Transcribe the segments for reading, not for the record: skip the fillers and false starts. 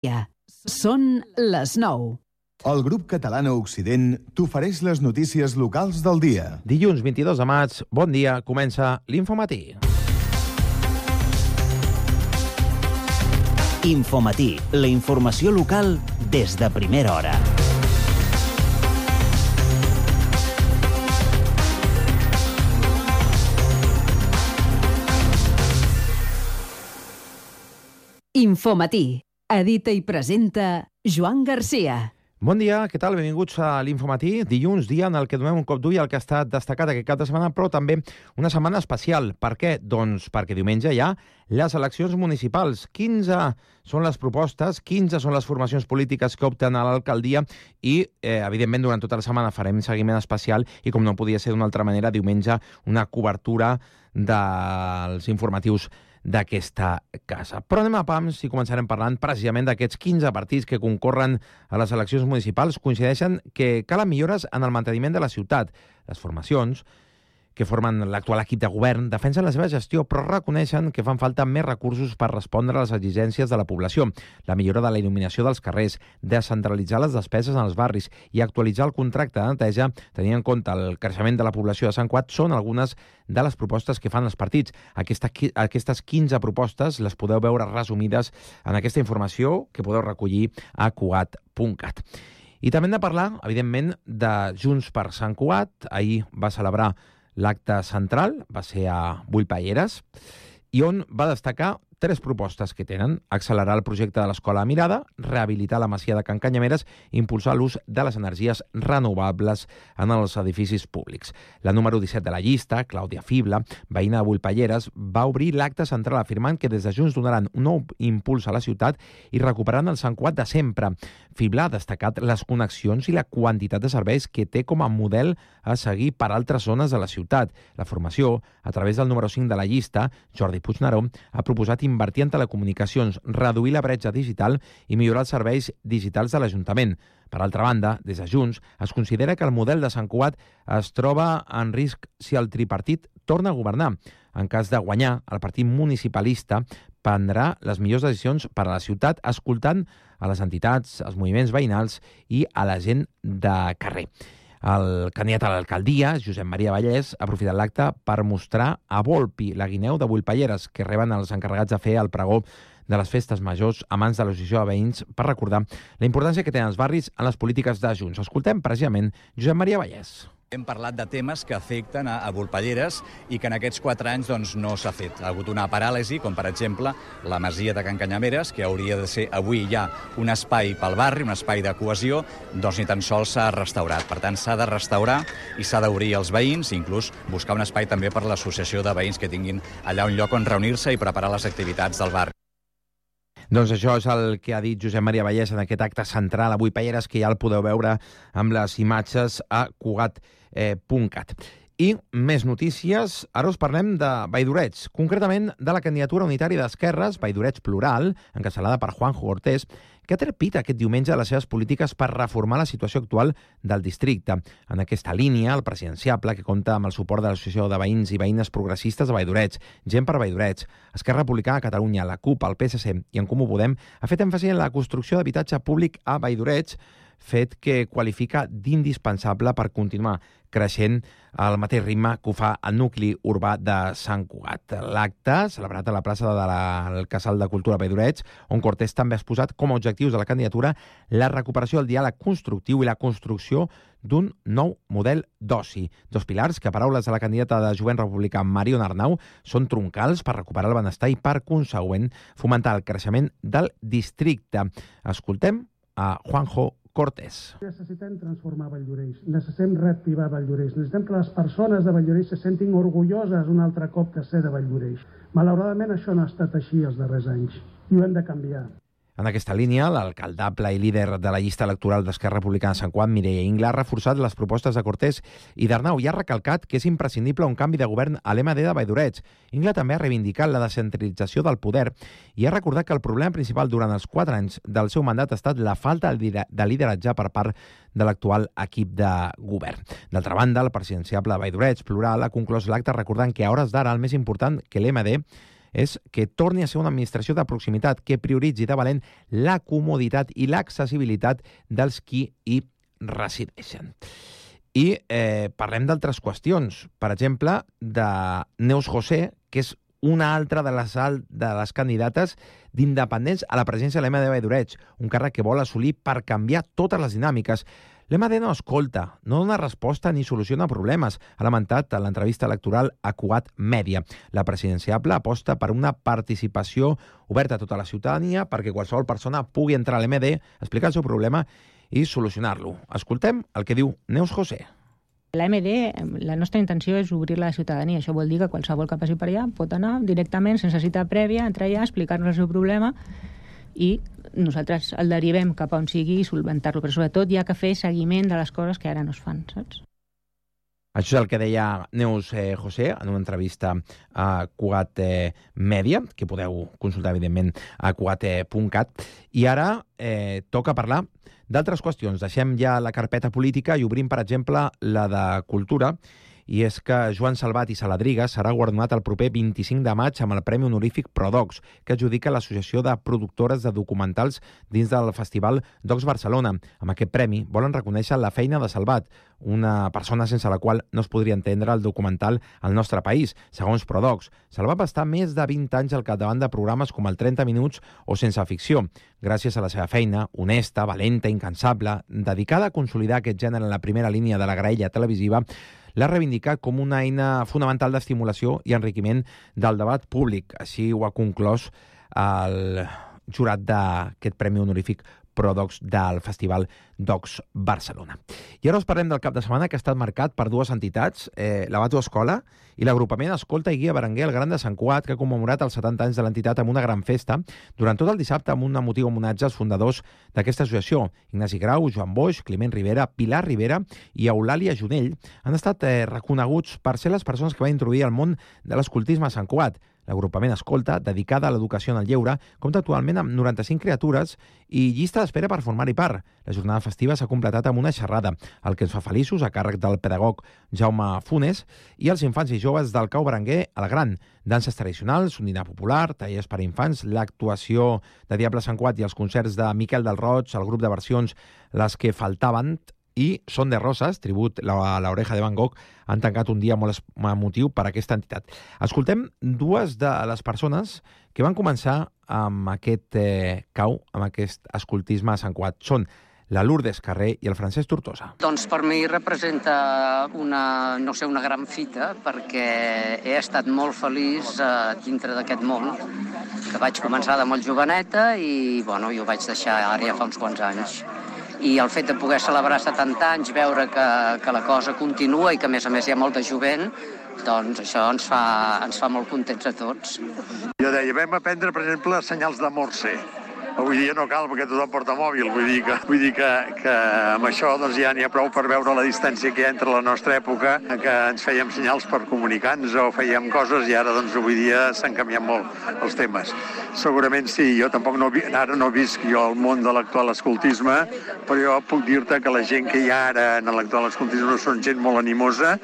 Són les 9. El grup català a Occident t'ofereix les notícies locals del dia. Dilluns 22 de maig, bon dia, comença l'Infomatí. Infomatí, la informació local des de primera hora. Infomatí. Edita i presenta Joan Garcia. Bon dia, què tal? Benvinguts a l'Infomatí. Dilluns, dia en el que donem un cop d'ull al que ha estat destacat aquest cap de setmana, però també una setmana especial. Per què? Doncs perquè diumenge hi ha les eleccions municipals. 15 són les propostes, 15 són les formacions polítiques que opten a l'alcaldia i, evidentment, durant tota la setmana farem seguiment especial i, com no podia ser d'una altra manera, diumenge una cobertura dels informatius d'aquesta casa. Però anem a pams i començarem parlant precisament d'aquests 15 partits que concorren a les eleccions municipals. Coincideixen que calen millores en el manteniment de la ciutat. Les formacions que formen l'actual equip de govern defensen la seva gestió, però reconeixen que fan falta més recursos per respondre a les exigències de la població. La millora de la il·luminació dels carrers, descentralitzar les despeses en els barris i actualitzar el contracte de neteja, tenint en compte el creixement de la població de Sant Cugat, són algunes de les propostes que fan els partits. Aquestes 15 propostes les podeu veure resumides en aquesta informació que podeu recollir a cugat.cat. I també hem de parlar, evidentment, de Junts per Sant Cugat. Ahir va celebrar l'acte central, va ser a Bullpalleres, i on va destacar 3 propostes que tenen: accelerar el projecte de l'Escola Mirada, rehabilitar la masia de Can Canyameres i impulsar l'ús de les energies renovables en els edificis públics. La número 17 de la llista, Clàudia Fibla, veïna de Bullpalleres, va obrir l'acte central afirmant que des de Junts donaran un nou impuls a la ciutat i recuperaran el Sant Cugat de sempre. Fibla ha destacat les connexions i la quantitat de serveis que té com a model a seguir per altres zones de la ciutat. La formació, a través del número 5 de la llista, Jordi Puigneró, ha proposat invertir en telecomunicacions, reduir la bretxa digital i millorar els serveis digitals de l'Ajuntament. Per altra banda, des de Junts, es considera que el model de Sant Cugat es troba en risc si el tripartit torna a governar. En cas de guanyar, el partit municipalista prendrà les millors decisions per a la ciutat, escoltant a les entitats, als moviments veïnals i a la gent de carrer. El candidat a l'alcaldia, Josep Maria Vallès, ha aprofitat l'acte per mostrar a Volpi, la guineu de Bullpalleres, que reben els encarregats de fer el pregó de les festes majors a mans de l'Associació de Veïns per recordar la importància que tenen els barris en les polítiques de Junts. Escoltem precisament Josep Maria Vallès. Hem parlat de temes que afecten a Bullpalleres i que en aquests 4 anys no s'ha fet. Ha hagut una paràlisi, com per exemple la masia de Can Canyameres, que hauria de ser avui ja un espai pel barri, un espai de cohesió, ni tan sols s'ha restaurat. Per tant, s'ha de restaurar i s'ha d'obrir als veïns, inclús buscar un espai també per l'associació de veïns que tinguin allà un lloc on reunir-se i preparar les activitats del barri. Doncs això és el que ha dit Josep Maria Vallès en aquest acte central a Bullpalleres, que ja el podeu veure amb les imatges a cugat.cat. I més notícies. Ara us parlem de Valldoreig, concretament de la candidatura unitària d'Esquerres, Valldoreig Plural, encapçalada per Juanjo Cortés, que ha trepit aquest diumenge les seves polítiques per reformar la situació actual del districte. En aquesta línia, el presidenciable, que compta amb el suport de l'Associació de Veïns i Veïnes Progressistes de Valldoreig, Gent per Valldoreig, Esquerra Republicana de Catalunya, la CUP, el PSC i En Comú Podem, ha fet èmfasi en la construcció d'habitatge públic a Valldoreig, fet que qualifica d'indispensable per continuar creixent al mateix ritme que ho fa el nucli urbà de Sant Cugat. L'acte, celebrat a la plaça del Casal de Cultura Valldoreig, on Cortés també ha exposat com a objectius de la candidatura la recuperació del diàleg constructiu i la construcció d'un nou model d'oci. 2 pilars que, a paraules de la candidata de Jovent Republicà, Mariona Arnau, són troncals per recuperar el benestar i, per consegüent, fomentar el creixement del districte. Escoltem a Juanjo Cortés. Necessitem transformar Valldoreix, necessitem reactivar Valldoreix, necessitem que les persones de Valldoreix se sentin orgulloses un altre cop de ser de Valldoreix. Malauradament això no ha estat així els darrers anys i ho hem de canviar. En aquesta línia, l'alcaldable i líder de la llista electoral d'Esquerra Republicana de Sant Cugat, Mireia Ingla, ha reforçat les propostes de Cortés i d'Arnau i ha recalcat que és imprescindible un canvi de govern a l'MD de Valldoreig. Ingla també ha reivindicat la descentralització del poder i ha recordat que el problema principal durant els 4 anys del seu mandat ha estat la falta de lideratge per part de l'actual equip de govern. D'altra banda, el presidenciable de Valldoreig Plural ha conclòs l'acte recordant que a hores d'ara el més important que l'MD és que torni a ser una administració de proximitat que prioritzi de valent la comoditat i l'accessibilitat dels qui hi resideixen. I parlem d'altres qüestions. Per exemple, de Neus José, que és una altra de les candidates d'independents a la presidència de l'MD Valldoreix, un càrrec que vol assolir per canviar totes les dinàmiques. L'MD no escolta, no dona resposta ni soluciona problemes, ha lamentat en l'entrevista electoral a Cugat Mèdia. La presidenciable aposta per una participació oberta a tota la ciutadania perquè qualsevol persona pugui entrar a l'MD, explicar el seu problema i solucionar-lo. Escoltem el que diu Neus José. L'AMD, la nostra intenció és obrir-la a la ciutadania. Això vol dir que qualsevol que passi per allà pot anar directament, sense cita prèvia, entrar allà, explicar-nos el seu problema i nosaltres el derivem cap a on sigui i solventar-lo. Però sobretot hi ha que fer seguiment de les coses que ara no es fan, saps? Això és el que deia Neus José en una entrevista a Cugat Mèdia, que podeu consultar, evidentment, a cugat.cat. I ara toca parlar d'altres qüestions. Deixem ja la carpeta política i obrim, per exemple, la de cultura. I és que Joan Salvat i Saladriga serà guardonat el proper 25 de maig amb el Premi Honorífic ProDocs, que adjudica l'Associació de Productores de Documentals dins del Festival Docs Barcelona. Amb aquest premi volen reconèixer la feina de Salvat, una persona sense la qual no es podria entendre el documental al nostre país. Segons ProDocs, Salvat va estar més de 20 anys al capdavant de programes com el 30 Minuts o Sense Ficció. Gràcies a la seva feina, honesta, valenta, incansable, dedicada a consolidar aquest gènere en la primera línia de la graella televisiva, l'ha reivindicat com una eina fonamental d'estimulació i enriquiment del debat públic. Així ho ha conclòs el jurat d'aquest Premi Honorífic ProDocs del Festival Docs Barcelona. I ara us parlem del cap de setmana que ha estat marcat per dues entitats, la Bato Escola i l'agrupament Escolta i Guia Berenguer el Gran de Sant Cugat, que ha commemorat els 70 anys de l'entitat amb una gran festa durant tot el dissabte amb un emotiu homenatge als fundadors d'aquesta associació. Ignasi Grau, Joan Boix, Climent Rivera, Pilar Rivera i Eulàlia Junell han estat reconeguts per ser les persones que van introduir el món de l'escoltisme a Sant Cugat. L'agrupament Escolta, dedicada a l'educació en el lleure, compta actualment amb 95 criatures i llista d'espera per formar-hi part. La jornada festiva s'ha completat amb una xerrada, el que ens fa feliços, a càrrec del pedagog Jaume Funes, i els infants i joves del Cau Berenguer al Gran. Danses tradicionals, un dinar popular, tallers per a infants, l'actuació de Diable Sant Cugat i els concerts de Miquel del Roig, el grup de versions Les que faltaven, i Son de Roses, tribut a l'Oreja de Van Gogh, han tancat un dia molt emotiu per a aquesta entitat. Escoltem dues de les persones que van començar amb aquest cau, amb aquest escoltisme a Sant Cugat. Són la Lourdes Carrer i el Francesc Tortosa. Doncs per mi representa una gran fita, perquè he estat molt feliç dintre d'aquest món, que vaig començar de molt joveneta i jo ho vaig deixar ara ja fa uns quants anys. I el fet de poder celebrar 70 anys, veure que la cosa continua i que a més hi ha molta jovent, doncs això ens fa molt contents a tots. Jo deia, vam aprendre, per exemple, senyals de Morse. Avui dia no cal perquè tothom porta mòbil, vull dir que amb això doncs, ja n'hi ha prou per veure la distància que hi ha entre la nostra època, que ens fèiem senyals per comunicar-nos o fèiem coses i ara doncs, avui dia s'han canviat molt els temes. Segurament sí, jo tampoc ara no visc jo el món de l'actual escoltisme, però jo puc dir-te que la gent que hi ha ara en l'actual escoltisme són gent molt animosa.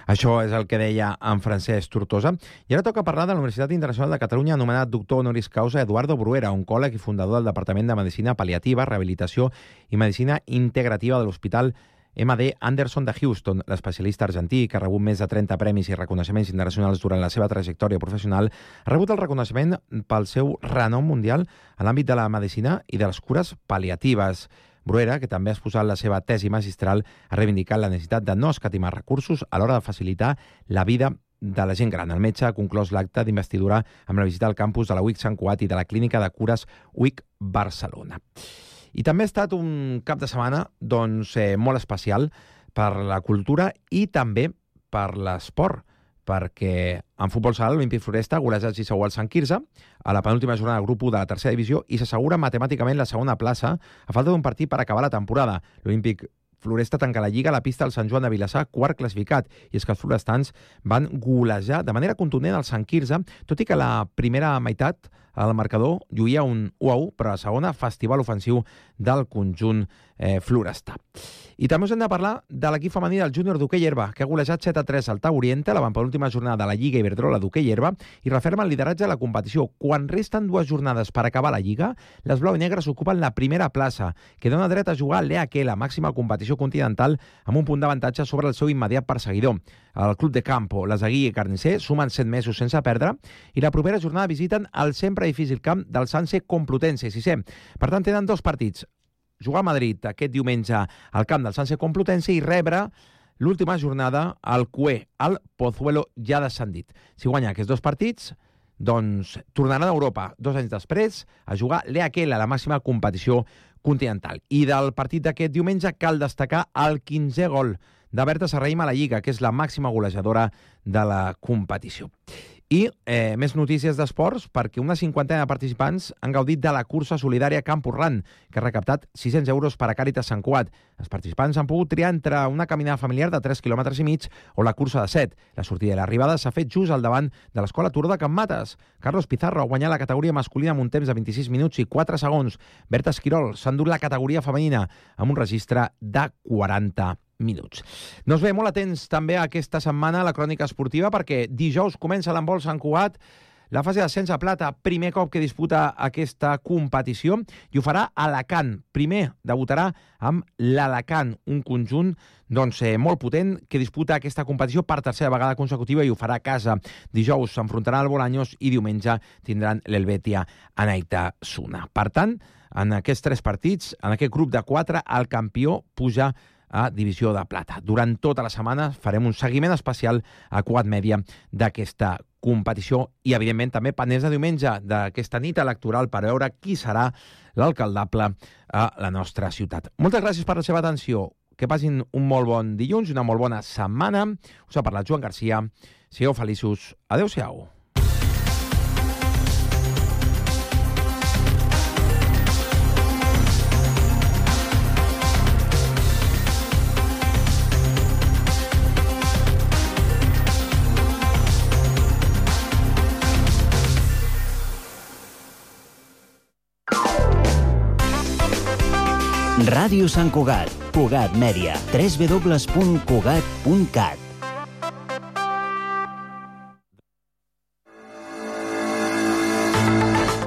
Això és el que deia en Francesc Tortosa. I ara toca parlar de la Universitat Internacional de Catalunya, anomenat doctor honoris causa Eduardo Bruera, oncòleg i fundador del Departament de Medicina Pal·liativa, Rehabilitació i Medicina Integrativa de l'Hospital MD Anderson de Houston. L'especialista argentí, que ha rebut més de 30 premis i reconeixements internacionals durant la seva trajectòria professional, ha rebut el reconeixement pel seu renom mundial en l'àmbit de la medicina i de les cures pal·liatives. Bruera, que també ha exposat la seva tesi magistral, ha reivindicat la necessitat de no escatimar recursos a l'hora de facilitar la vida de la gent gran. El metge ha conclòs l'acte d'investidura amb la visita al campus de la UIC Sant Cugat i de la Clínica de Cures UIC Barcelona. I també ha estat un cap de setmana molt especial per la cultura i també per l'esport, perquè en futbol sala l'Olímpic Floresta ha golejat 6-1 al Sant Quirze a la penúltima jornada del grup 1 de la tercera divisió i s'assegura matemàticament la segona plaça a falta d'un partit per acabar la temporada. L'Olímpic Floresta tanca la Lliga a la pista del Sant Joan de Vilassar, quart classificat. I és que els florestans van golejar de manera contundent el Sant Quirze, tot i que la primera meitat el marcador lluïa un 1-1, però a la segona, festival ofensiu del conjunt florestà. I també us hem de parlar de l'equip femení del júnior d'hoquei herba, que ha golejat 7-3 al Tau Oriente, la penúltima jornada de la Lliga Iberdrola d'hoquei herba, i referma el lideratge de la competició. Quan resten 2 jornades per acabar la Lliga, les blau i negres ocupen la primera plaça, que dona dret a jugar a l'EAQ, la màxima competició continental, amb un punt d'avantatge sobre el seu immediat perseguidor. El Club de Campo, les Aguirre i Carnisser, sumen 7 mesos sense perdre, i la propera jornada visiten el sempre difícil camp del Sanse Complutense, 6è. Per tant, tenen 2 partits. Jugar a Madrid aquest diumenge al camp del Sanse Complutense i rebre l'última jornada al CUE, al Pozuelo ja descendit. Si guanya aquests 2 partits, doncs tornaran a Europa 2 anys després a jugar l'EAQ, la màxima competició continental. I del partit d'aquest diumenge cal destacar el 15è gol de Berta Serrahima a la Lliga, que és la màxima golejadora de la competició. I més notícies d'esports, perquè una 50ena de participants han gaudit de la cursa solidària Campus Run, que ha recaptat 600 euros per a Càritas Sant Cugat. Els participants han pogut triar entre una caminada familiar de 3,5 km o la cursa de 7. La sortida i l'arribada s'ha fet just al davant de l'Escola Turó de Can Mates. Carlos Pizarro ha guanyat la categoria masculina amb un temps de 26 minuts i 4 segons. Berta Esquirol s'ha endut la categoria femenina amb un registre de 40 minuts. Doncs bé, molt atents també aquesta setmana a la crònica esportiva, perquè dijous comença l'handbol Sant Cugat, la fase d'ascens a plata, primer cop que disputa aquesta competició, i ho farà a Alacant. Primer debutarà amb l'Alacant, un conjunt molt potent que disputa aquesta competició per tercera vegada consecutiva i ho farà a casa. Dijous s'enfrontarà al Bolaños i diumenge tindran l'Helvetia Anaitasuna. Per tant, en aquests 3 partits, en aquest grup de 4, el campió puja a divisió de plata. Durant tota la setmana farem un seguiment especial a Cugat Mèdia d'aquesta competició i, evidentment, també pendents de diumenge d'aquesta nit electoral per veure qui serà l'alcaldable a la nostra ciutat. Moltes gràcies per la seva atenció. Que passin un molt bon dilluns i una molt bona setmana. Us ha parlat Joan Garcia. Sigueu feliços. Adéu-siau. Ràdio Sant Cugat, Cugat Mèdia, www.cugat.cat.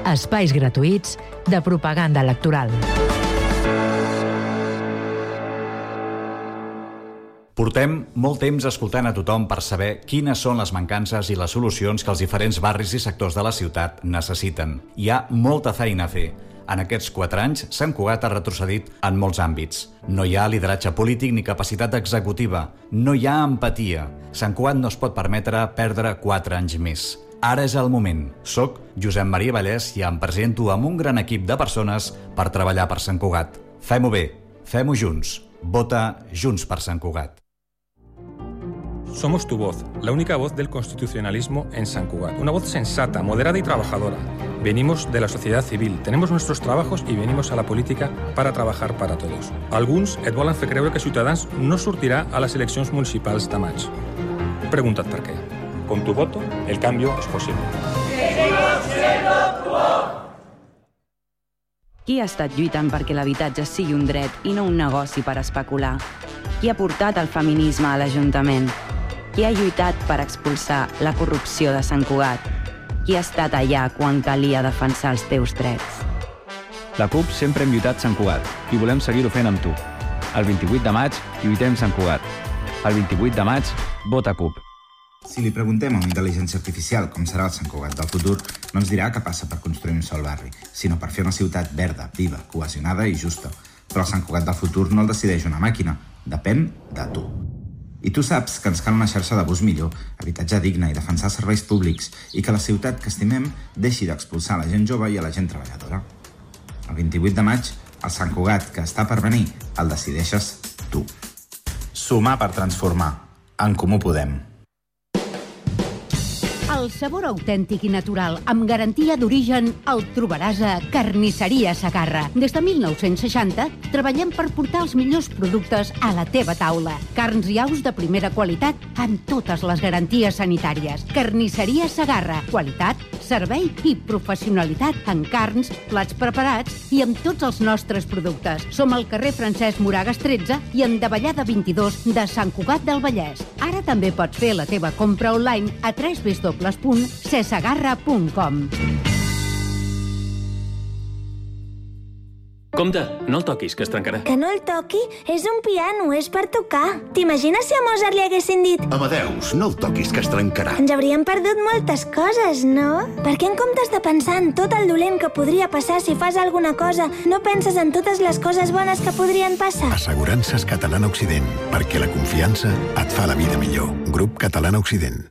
Espais gratuïts de propaganda electoral. Portem molt temps escoltant a tothom per saber quines són les mancances i les solucions que els diferents barris i sectors de la ciutat necessiten. Hi ha molta feina a fer. En aquests 4 anys, Sant Cugat ha retrocedit en molts àmbits. No hi ha lideratge polític ni capacitat executiva. No hi ha empatia. Sant Cugat no es pot permetre perdre 4 anys més. Ara és el moment. Soc Josep Maria Vallès i em presento amb un gran equip de persones per treballar per Sant Cugat. Fem-ho bé, fem-ho junts. Vota Junts per Sant Cugat. Somos tu voz, la única voz del constitucionalismo en Sant Cugat. Una voz sensata, moderada y trabajadora. Venimos de la sociedad civil, tenemos nuestros trabajos y venimos a la política para trabajar para todos. Alguns et volen fer creure que Ciutadans no sortirà a les eleccions municipals de maig. Pregunta't per què. Con tu voto, el cambio es posible. Qui ha estat lluitant perquè l'habitatge sigui un dret i no un negoci per especular? Qui ha portat el feminisme a l'Ajuntament? Qui ha lluitat per expulsar la corrupció de Sant Cugat? Qui ha estat allà quan calia defensar els teus drets? La CUP sempre hem lluitat Sant Cugat i volem seguir-ho fent amb tu. El 28 de maig lluitem Sant Cugat. El 28 de maig, vota CUP. Si li preguntem a una intel·ligència artificial com serà el Sant Cugat del futur, no ens dirà que passa per construir un sol barri, sinó per fer una ciutat verda, viva, cohesionada i justa. Però el Sant Cugat del futur no el decideix una màquina, depèn de tu. I tu saps que ens cal una xarxa de bus millor, habitatge digne i defensar serveis públics i que la ciutat que estimem deixi d'expulsar la gent jove i a la gent treballadora. El 28 de maig, el Sant Cugat que està per venir, el decideixes tu. Sumar per transformar. En Comú Podem. El sabor autèntic i natural, amb garantia d'origen, el trobaràs a Carnisseria Segarra. Des de 1960 treballem per portar els millors productes a la teva taula. Carns i aus de primera qualitat amb totes les garanties sanitàries. Carnisseria Segarra. Qualitat, servei i professionalitat en carns, plats preparats i amb tots els nostres productes. Som al carrer Francesc Moragas 13 i en Davallada 22 de Sant Cugat del Vallès. Ara també pots fer la teva compra online a www.cesegarra.com. Compte, no el toquis, que es trencarà. Que no el toqui? És un piano, és per tocar. T'imagines si a Mozart li haguessin dit Amadeus, no el toquis, que es trencarà. ens hauríem perdut moltes coses, no? Per què en comptes de pensar en tot el dolent que podria passar si fas alguna cosa, no penses en totes les coses bones que podrien passar? Assegurances Catalana Occident, perquè la confiança et fa la vida millor. Grup Catalana Occident.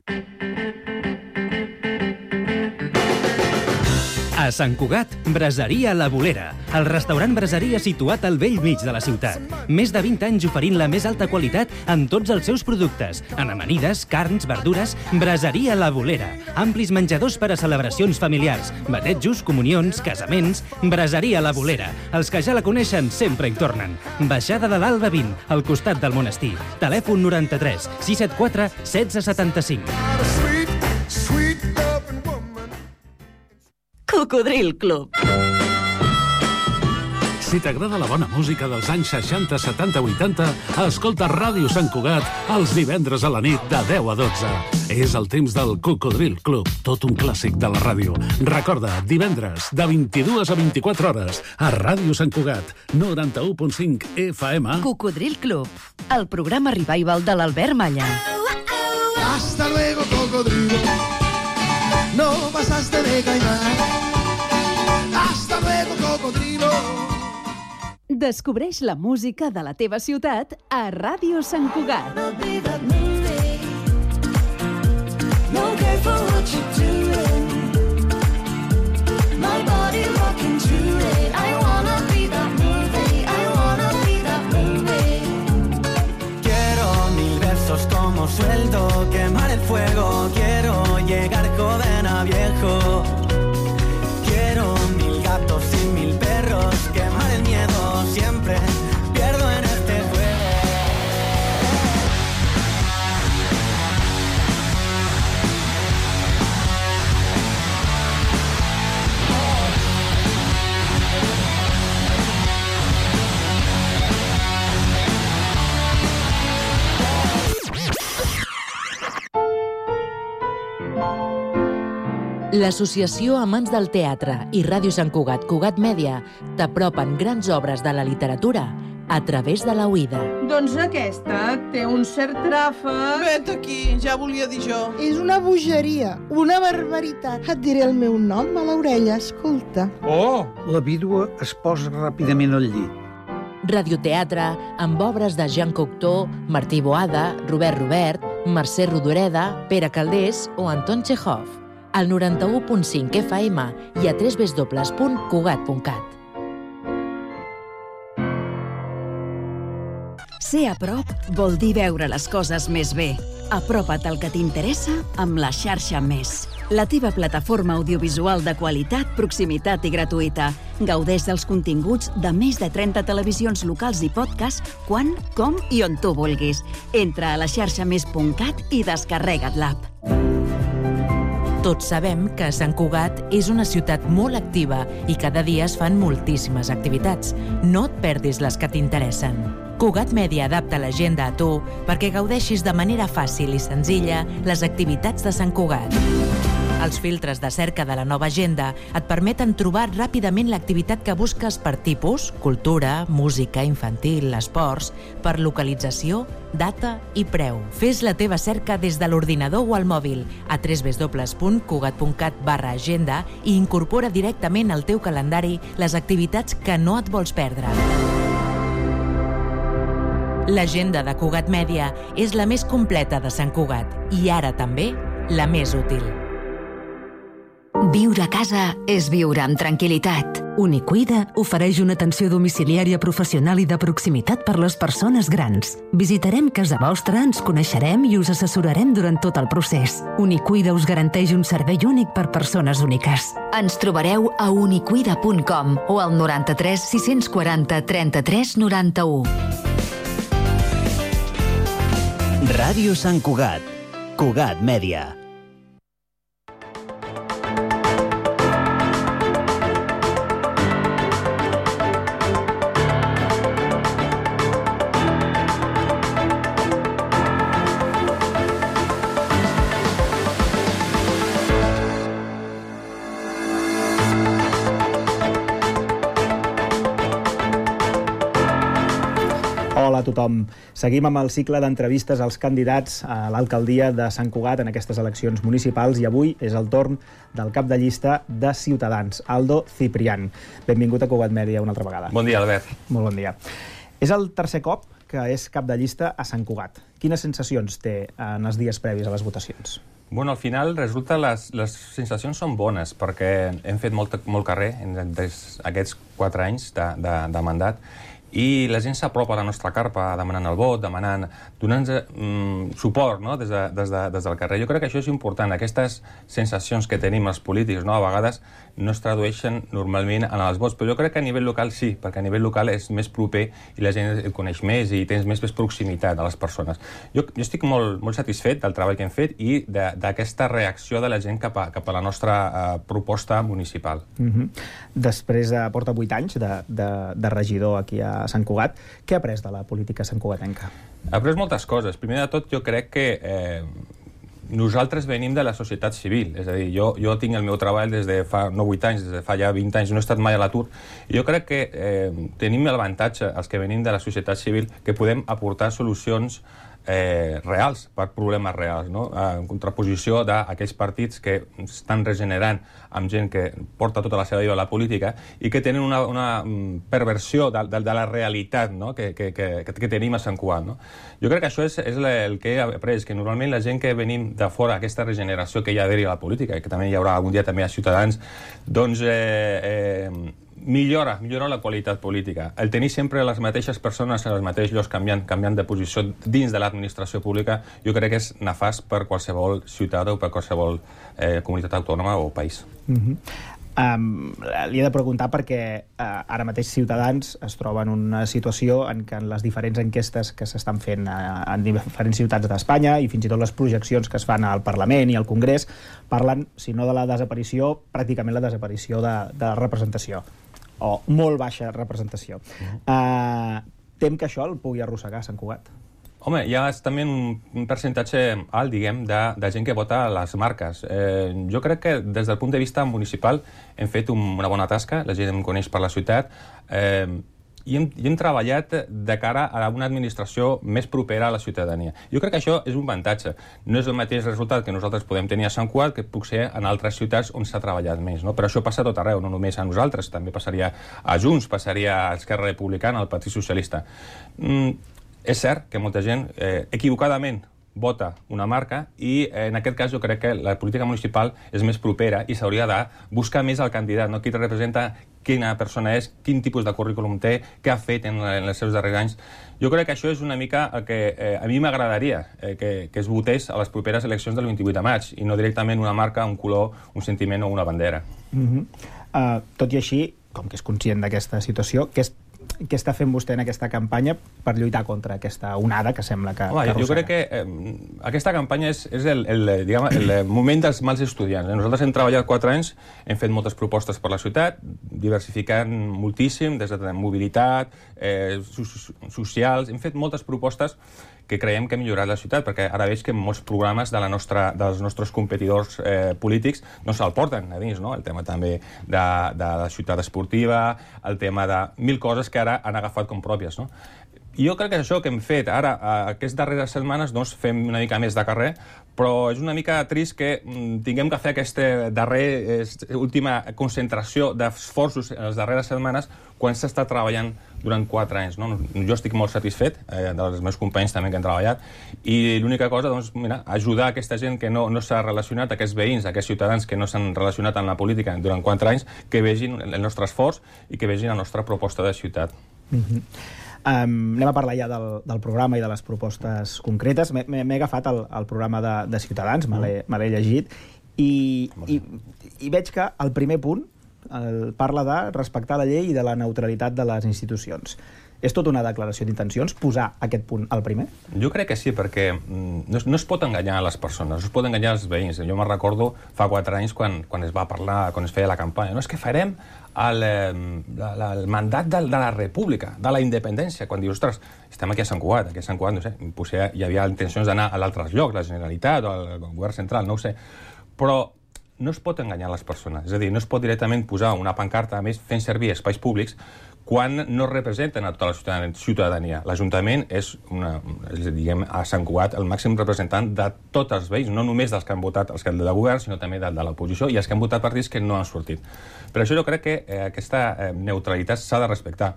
A Sant Cugat, Braseria La Bolera, el restaurant braseria situat al bell mig de la ciutat. Més de 20 anys oferint la més alta qualitat en tots els seus productes. En amanides, carns, verdures, Braseria La Bolera. Amplis menjadors per a celebracions familiars, batejos, comunions, casaments. Braseria La Bolera. Els que ja la coneixen sempre hi tornen. Baixada de l'Alba 20, al costat del monestir. Telèfon 93 674 1675. Cocodril Club. Si t'agrada la bona música dels anys 60, 70, 80, escolta Ràdio Sant Cugat els divendres a la nit de 10 a 12. És el temps del Cocodril Club, tot un clàssic de la ràdio. Recorda, divendres, de 22 a 24 hores, a Ràdio Sant Cugat, 91.5 FM. Cocodril Club, el programa revival de l'Albert Malla. Hasta luego, cocodrilo. No pasaste de caimán. Hasta luego, cocodrilo. Descobreix la música de la teva ciutat a Ràdio Sant Cugat. Quiero 1000 besos como sueldo, quemar el fuego. Quiero llegar joven a viejo. Quiero 1000 gatos y 1000 perros, quemar el miedo. Siempre pierdo en este juego. L'Associació Amants del Teatre i Ràdio Sant Cugat, Cugat Mèdia, t'apropen grans obres de la literatura a través de la oïda. Doncs aquesta té un cert tràfic. Vet aquí, ja volia dir jo. És una bogeria, una barbaritat. Et diré el meu nom a l'orella, escolta. Oh! La vídua es posa ràpidament al llit. Radioteatre amb obres de Jean Cocteau, Martí Boada, Robert, Mercè Rodoreda, Pere Calders o Anton Chekhov. Al 91.5 FM i a www.cugat.cat. Ser a prop vol dir veure les coses més bé. Apropa't al que t'interessa amb la xarxa Més. La teva plataforma audiovisual de qualitat, proximitat i gratuïta. Gaudeix dels continguts de més de 30 televisions locals i podcast quan, com i on tu vulguis. Entra a la xarxamés.cat i descarrega't l'app. Tots sabem que Sant Cugat és una ciutat molt activa i cada dia es fan moltíssimes activitats. No et perdis les que t'interessen. Cugat Mèdia adapta l'agenda a tu perquè gaudeixis de manera fàcil i senzilla les activitats de Sant Cugat. Els filtres de cerca de la nova agenda et permeten trobar ràpidament l'activitat que busques per tipus, cultura, música, infantil, esports, per localització, data i preu. Fes la teva cerca des de l'ordinador o al mòbil a www.cugat.cat/agenda i incorpora directament al teu calendari les activitats que no et vols perdre. L'agenda de Cugat Mèdia és la més completa de Sant Cugat i ara també la més útil. Viure a casa és viure amb tranquil·litat. Unicuida ofereix una atenció domiciliària professional i de proximitat per les persones grans. Visitarem casa vostra, ens coneixerem i us assessorarem durant tot el procés. Unicuida us garanteix un servei únic per persones úniques. Ens trobareu a unicuida.com o al 93 640 33 91. Ràdio Sant Cugat. Cugat Mèdia. Hola a tothom. Seguim amb el cicle d'entrevistes als candidats a l'alcaldia de Sant Cugat en aquestes eleccions municipals i avui és el torn del cap de llista de Ciutadans, Aldo Ciprián. Benvingut a Cugat Mèdia una altra vegada. Bon dia, Albert. Molt bon dia. És el tercer cop que és cap de llista a Sant Cugat. Quines sensacions té en els dies previs a les votacions? Bueno, al final resulta les sensacions són bones perquè hem fet molt carrer en aquests 4 anys de mandat i la gent s'apropa a la nostra carpa demanant el vot, donant-nos suport, no? des del carrer. Jo crec que això és important. Aquestes sensacions que tenim els polítics, no? A vegades no es tradueixen normalment en els vots, però jo crec que a nivell local sí, perquè a nivell local és més proper i la gent el coneix més i tens més proximitat a les persones. Jo estic molt satisfet del treball que hem fet i d'aquesta reacció de la gent cap a la nostra proposta municipal. Després porta 8 anys de regidor aquí a Sant Cugat. Què ha après de la política santcugatenca? Ha après moltes coses. Primer de tot, jo crec que nosaltres venim de la societat civil. És a dir, jo tinc el meu treball des de fa, no 8 anys, des de fa ja 20 anys, no he estat mai a l'atur. I jo crec que tenim l'avantatge, els que venim de la societat civil, que podem aportar solucions reals, per problemes reals, no? En contraposició d'aquells partits que estan regenerant amb gent que porta tota la seva vida a la política i que tenen una perversió de la realitat, no? que tenim a Sant Cugat. No? Jo crec que això és el que he après, que normalment la gent que venim de fora, aquesta regeneració que hi ha d'haver a la política, i que també hi haurà algun dia també a Ciutadans, doncs millora la qualitat política. El tenir sempre les mateixes persones en els mateixos llocs canviant de posició dins de l'administració pública, jo crec que és nefast per qualsevol ciutat o per qualsevol comunitat autònoma o país. Li he de preguntar perquè ara mateix Ciutadans es troba en una situació en què les diferents enquestes que s'estan fent en diferents ciutats d'Espanya i fins i tot les projeccions que es fan al Parlament i al Congrés parlen, si no de la desaparició, pràcticament la desaparició de representació o molt baixa representació. Tem que això el pugui arrossegar a Sant Cugat? Home, hi ha també un percentatge alt, diguem, de gent que vota a les marques. Jo crec que des del punt de vista municipal hem fet una bona tasca, la gent em coneix per la ciutat, i hem treballat de cara a una administració més propera a la ciutadania. Jo crec que això és un avantatge. No és el mateix resultat que nosaltres podem tenir a Sant Cugat que puc ser en altres ciutats on s'ha treballat més. No? Però això passa a tot arreu, no només a nosaltres, també passaria a Junts, passaria a Esquerra Republicana, al Partit Socialista. És cert que molta gent equivocadament vota una marca i en aquest cas jo crec que la política municipal és més propera i s'hauria de buscar més el candidat, no? Qui representa, quina persona és, quin tipus de currículum té, què ha fet en els seus darrers anys. Jo crec que això és una mica el que a mi m'agradaria que es votés a les properes eleccions del 28 de maig i no directament una marca, un color, un sentiment o una bandera. Tot i així, com que és conscient d'aquesta situació, què està fent vostè en aquesta campanya per lluitar contra aquesta onada que sembla que arrossega? Jo crec que aquesta campanya és el moment dels mals estudiants. Nosaltres hem treballat 4 anys, hem fet moltes propostes per la ciutat, diversificant moltíssim, des de mobilitat, socials, hem fet moltes propostes que creiem que ha millorat la ciutat, perquè ara veig que molts programes dels nostres competidors polítics no se'l porten a dins, no? El tema també de la ciutat esportiva, el tema de 1000 coses que ara han agafat com pròpies, no? I jo crec que això que hem fet ara, aquestes darreres setmanes, doncs fem una mica més de carrer, però és una mica trist que tinguem que fer aquesta última concentració d'esforços en les darreres setmanes quan s'està treballant durant 4 anys. No? Jo estic molt satisfet, dels meus companys també que han treballat, i l'única cosa, doncs, mira, ajudar aquesta gent que no s'ha relacionat, aquests veïns, aquests ciutadans que no s'han relacionat amb la política durant 4 anys, que vegin el nostre esforç i que vegin la nostra proposta de ciutat. Anem a parlar ja del programa i de les propostes concretes. M'he agafat el programa de Ciutadans, me l'he llegit, i veig que el primer punt parla de respectar la llei i de la neutralitat de les institucions. És tota una declaració d'intencions posar aquest punt al primer? Jo crec que sí, perquè no es pot enganyar les persones, no es pot enganyar els veïns. Jo me'n recordo fa 4 anys quan es va parlar, quan es feia la campanya. No, és que farem el mandat de la república, de la independència. Quan dius, ostres, estem aquí a Sant Cugat, no sé, potser hi havia intencions d'anar a altres llocs, la Generalitat o el govern central, no ho sé. Però no es pot enganyar les persones. És a dir, no es pot directament posar una pancarta, a més, fent servir espais públics quan no representen a tota la ciutadania. L'Ajuntament és, diguem, a Sant Cugat, el màxim representant de tots els veïns, no només dels que han votat els que del govern, sinó també de l'oposició, i els que han votat partits que no han sortit. Per això jo crec que aquesta neutralitat s'ha de respectar.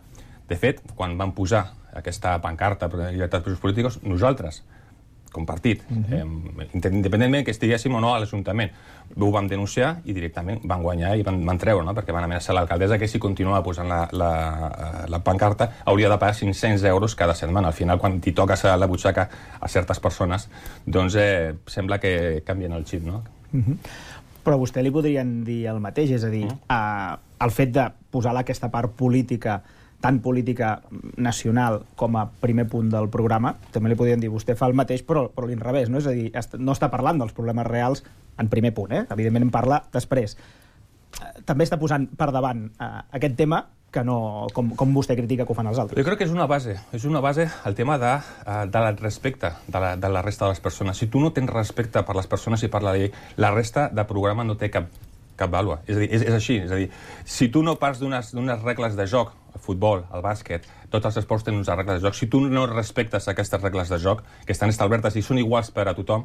De fet, quan van posar aquesta pancarta per la llibertat dels polítics, nosaltres, com partit, independentment que estiguéssim o no a l'Ajuntament, ho vam denunciar i directament van guanyar i van treure, no? Perquè van amenaçar l'alcaldessa que si continuava posant la pancarta hauria de pagar 500 euros cada setmana. Al final, quan t'hi toques a la butxaca a certes persones, doncs sembla que canvien el xip, no? Però a vostè li podrien dir el mateix, és a dir, el fet de posar aquesta part política, tant política nacional com a primer punt del programa, també li podien dir, vostè fa el mateix, però a l'inrevés, no? És a dir, no està parlant dels problemes reals en primer punt, evidentment en parla després. També està posant per davant aquest tema que no, com vostè critica que ho fan els altres. Jo crec que és una base el tema del respecte de la resta de les persones. Si tu no tens respecte per les persones i per la llei, la resta de programa no té cap vàlua. És a dir, és així. És a dir, si tu no parts d'unes regles de joc, el futbol, el bàsquet, tots els esports tenen unes regles de joc, si tu no respectes aquestes regles de joc, que estan establertes i són iguals per a tothom,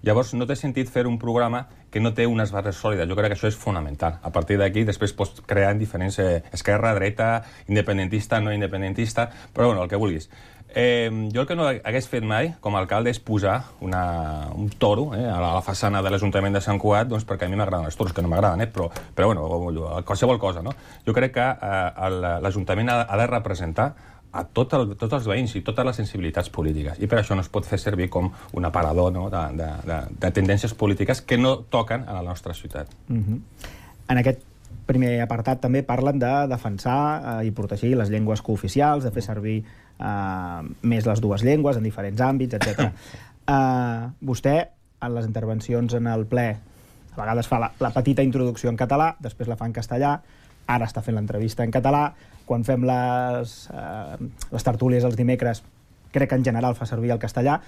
llavors no té sentit fer un programa que no té unes bases sòlides. Jo crec que això és fonamental. A partir d'aquí, després pots crear diferents esquerra, dreta, independentista, no independentista, però bueno, el que vulguis. Jo el que no hagués fet mai, com a alcalde, és posar un toro a la façana de l'Ajuntament de Sant Cugat, doncs perquè a mi m'agraden els toros, que no m'agraden, però bueno, qualsevol cosa, no? Jo crec que l'Ajuntament ha de representar a tots els veïns i totes les sensibilitats polítiques. I per això no es pot fer servir com un aparador de tendències polítiques que no toquen a la nostra ciutat. En aquest primer apartat també parlen de defensar i protegir les llengües cooficials, de fer servir més les dues llengües en diferents àmbits, etc. Vostè, en les intervencions en el ple, a vegades fa la petita introducció en català, després la fa en castellà, ara està fent l'entrevista en català, quan fem les tertúlies els dimecres, crec que en general fa servir el castellà.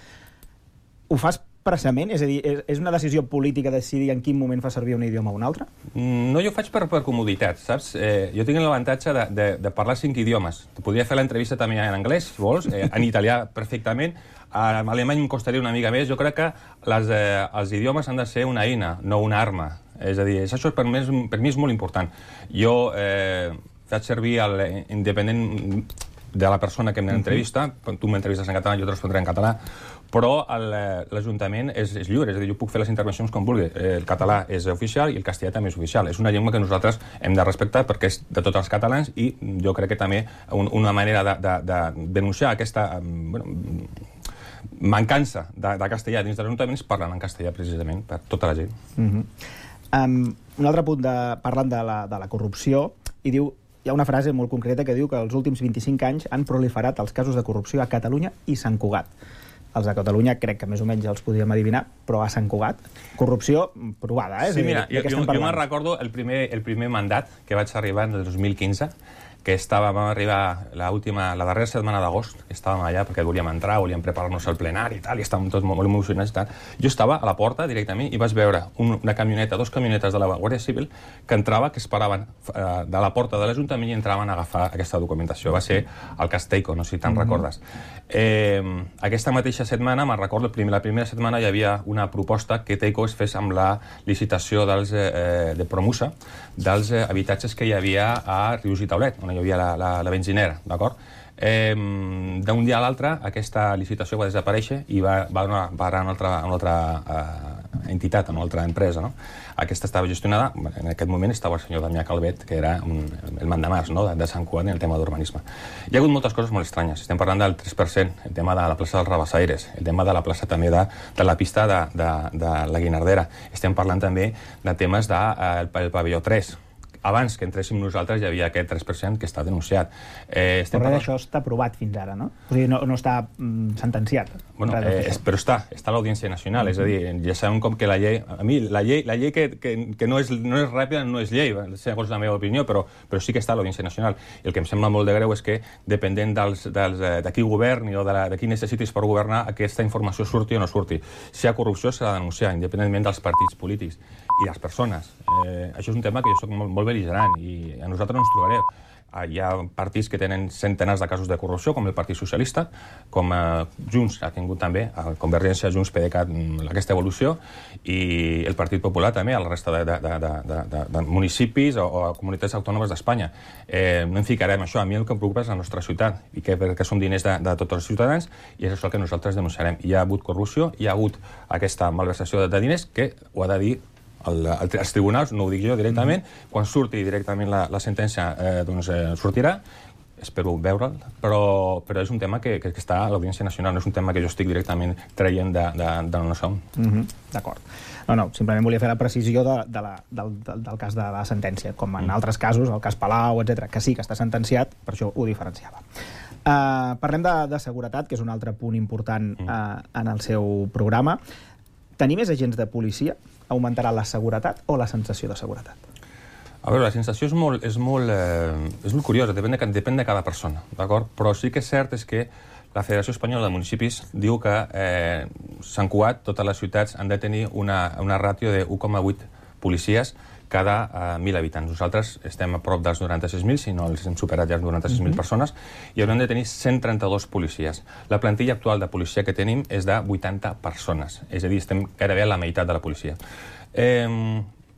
Ho fas expressament? És a dir, és una decisió política decidir en quin moment fa servir un idioma o un altre? No, jo ho faig per comoditat, saps? Jo tinc l'avantatge de parlar 5 idiomes. Podria fer l'entrevista també en anglès, si vols, en italià perfectament, en alemany em costaria una mica més. Jo crec que els idiomes han de ser una eina, no una arma. És a dir, això per mi és molt important. Jo faig servir independent de la persona que m'entrevista, tu m'entrevistes en català, jo te respondré en català, però l'Ajuntament és lliure, és a dir, jo puc fer les intervencions com vulgui. El català és oficial i el castellà també és oficial. És una llengua que nosaltres hem de respectar perquè és de tots els catalans i jo crec que també una manera de denunciar aquesta mancança de castellà dins de l'Ajuntament és parlant en castellà precisament per tota la gent. Un altre punt parlant de la corrupció i diu, hi ha una frase molt concreta que diu que els últims 25 anys han proliferat els casos de corrupció a Catalunya i Sant Cugat. Els de Catalunya crec que més o menys els podíem adivinar, però a Sant Cugat, corrupció provada, Sí, mira, jo me'n recordo el primer mandat que vaig arribar en el 2015, que vam arribar la darrera setmana d'agost, que estàvem allà perquè volíem entrar, volíem preparar-nos al plenari i tal, i estàvem tots molt emocionats i tal. Jo estava a la porta directament i vaig veure una camioneta, 2 camionetes de la Guàrdia Civil que entrava, que es paraven de la porta de l'Ajuntament i entraven a agafar aquesta documentació. Va ser el Castellco, no sé si te'n recordes. Aquesta mateixa setmana, me'n recordo, la primera setmana hi havia una proposta que Teico es fes amb la licitació de Promusa dels habitatges que hi havia a Rius i Taulet, on hi havia la benzinera, d'acord? D'un dia a l'altre, aquesta licitació va desaparèixer i va anar a una altra entitat, a una altra empresa, no? Aquesta estava gestionada, en aquest moment estava el senyor Damià Calvet, que era el mandamàs de Sant Cugat en el tema d'urbanisme. Hi ha hagut moltes coses molt estranyes. Estem parlant del 3%, el tema de la plaça dels Rabassaires, el tema de la plaça també de la pista de la Guinardera. Estem parlant també de temes del pavelló 3. Abans que entréssim nosaltres hi havia aquest 3% que està denunciat. Però res d'això està aprovat fins ara, no? O sigui, no està sentenciat. Bueno, però està a l'Audiència Nacional, és a dir, ja sabem com que la llei... A mi, la llei que no és ràpida no és llei, segons la meva opinió, però sí que està a l'Audiència Nacional. I el que em sembla molt de greu és que, dependent de qui governi o de qui necessitis per governar, aquesta informació surti o no surti. Si hi ha corrupció, s'ha de denunciar, independentment dels partits polítics i les persones. Això és un tema que jo soc molt bel·ligerant i a nosaltres no ens trobareu. Hi ha partits que tenen centenars de casos de corrupció, com el Partit Socialista, com Junts ha tingut també, Convergència, Junts, PDeCAT, aquesta evolució, i el Partit Popular també, a la resta de municipis o comunitats autònomes d'Espanya. No em ficarem això. A mi el que em preocupa és la nostra ciutat, i perquè són diners de tots els ciutadans, i és això el que nosaltres denunciarem. Hi ha hagut corrupció, hi ha hagut aquesta malversació de diners, que ho ha de dir als tribunals, no ho dic jo directament, quan surti directament la sentència sortirà, espero veure'l, però és un tema que està a l'Audiència Nacional, no és un tema que jo estic directament traient de no sé on. D'acord. No, simplement volia fer la precisió del cas de la sentència, com en altres casos, el cas Palau, etc., que sí que està sentenciat, per això ho diferenciava. Parlem de seguretat, que és un altre punt important en el seu programa. Tenir més agents de policia augmentarà la seguretat o la sensació de seguretat? A veure, la sensació és molt curiosa, depèn de cada persona, d'acord? Però sí que és cert és que la Federació Espanyola de Municipis diu que Sant Cugat, totes les ciutats, han de tenir una ràtio de 1,8 policies cada 1.000 habitants. Nosaltres estem a prop dels 96.000, si no els hem superat ja els 96.000 persones, i haurem de tenir 132 policies. La plantilla actual de policia que tenim és de 80 persones, és a dir, estem gairebé a la meitat de la policia.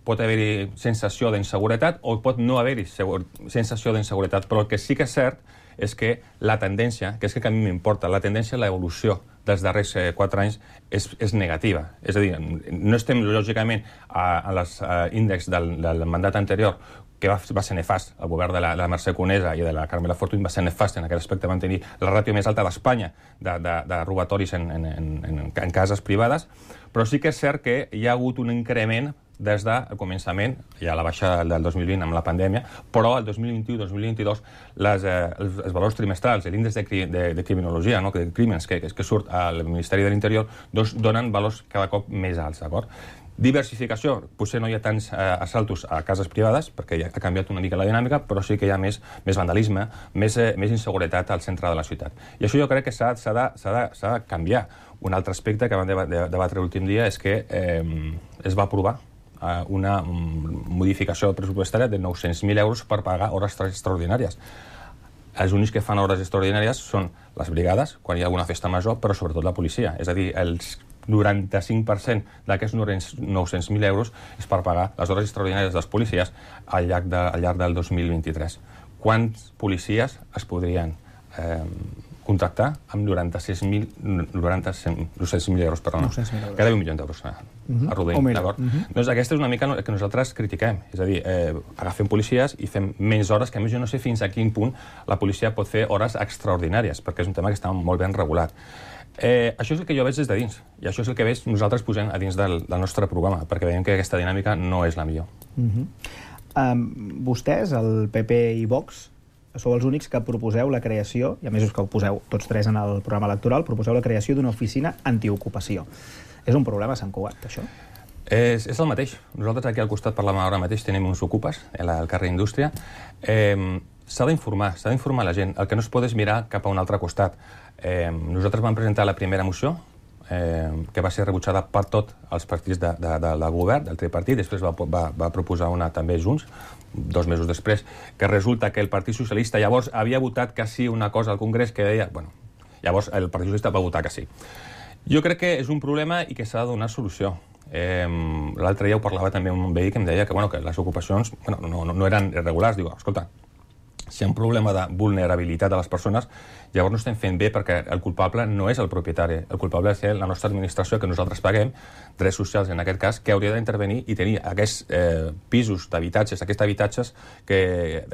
Pot haver-hi sensació d'inseguretat o pot no haver-hi sensació d'inseguretat, però el que sí que és cert és que la tendència, que és que a mi m'importa, la tendència, l'evolució dels darrers 4 anys és negativa. És a dir, no estem, lògicament, a l'índex del mandat anterior, que va ser nefast. El govern de la Mercè Conesa i de la Carmela Fortuny va ser nefast en aquest aspecte, van tenir la ràtio més alta d'Espanya de robatoris en cases privades, però sí que és cert que hi ha hagut un increment des del començament, ja la baixa del 2020 amb la pandèmia, però el 2021-2022 els valors trimestrals, l'índex de criminologia, de crímens que surt al Ministeri de l'Interior, donen valors cada cop més alts, d'acord? Diversificació, potser no hi ha tants assaltos a cases privades, perquè ja ha canviat una mica la dinàmica, però sí que hi ha més vandalisme, més inseguretat al centre de la ciutat. I això jo crec que s'ha de canviar. Un altre aspecte que vam debatre l'últim dia és que es va aprovar una modificació pressupostària de 900.000 euros per pagar hores extraordinàries. Els únics que fan hores extraordinàries són les brigades, quan hi ha alguna festa major, però sobretot la policia. És a dir, el 95% d'aquests 900.000 euros és per pagar les hores extraordinàries dels policies al llarg del 2023. Quants policies es podrien contractar amb 96.000 euros, perdona. Cada 1 milió d'euros, arrodonint, d'acord? Doncs aquesta és una mica que nosaltres critiquem. És a dir, agafem policies i fem menys hores, que a més jo no sé fins a quin punt la policia pot fer hores extraordinàries, perquè és un tema que està molt ben regulat. Això és el que jo veig des de dins, i això és el que veig nosaltres posem a dins del nostre programa, perquè veiem que aquesta dinàmica no és la millor. Vostès, el PP i Vox, sou els únics que proposeu la creació, i a més us que ho poseu tots tres en el programa electoral, proposeu la creació d'una oficina antiocupació. És un problema a Sant Cugat, això? És el mateix. Nosaltres aquí al costat, per la mà ara mateix, tenim uns ocupes, al carrer Indústria. S'ha d'informar la gent. El que no es pot és mirar cap a un altre costat. Nosaltres vam presentar la primera moció, que va ser rebutjada per tots els partits del govern, del tripartit, després va proposar una també Junts, 2 mesos després, que resulta que el Partit Socialista llavors havia votat que sí una cosa al Congrés que deia... Bueno, llavors el Partit Socialista va votar que sí. Jo crec que és un problema i que s'ha de donar solució. L'altre dia ho parlava també amb un veí que em deia que les ocupacions no eren irregulars. Diu, escolta, si hi ha un problema de vulnerabilitat de les persones, llavors no estem fent bé perquè el culpable no és el propietari. El culpable és la nostra administració, que nosaltres paguem, drets socials en aquest cas, que hauria d'intervenir i tenir aquests pisos d'habitatges, aquests habitatges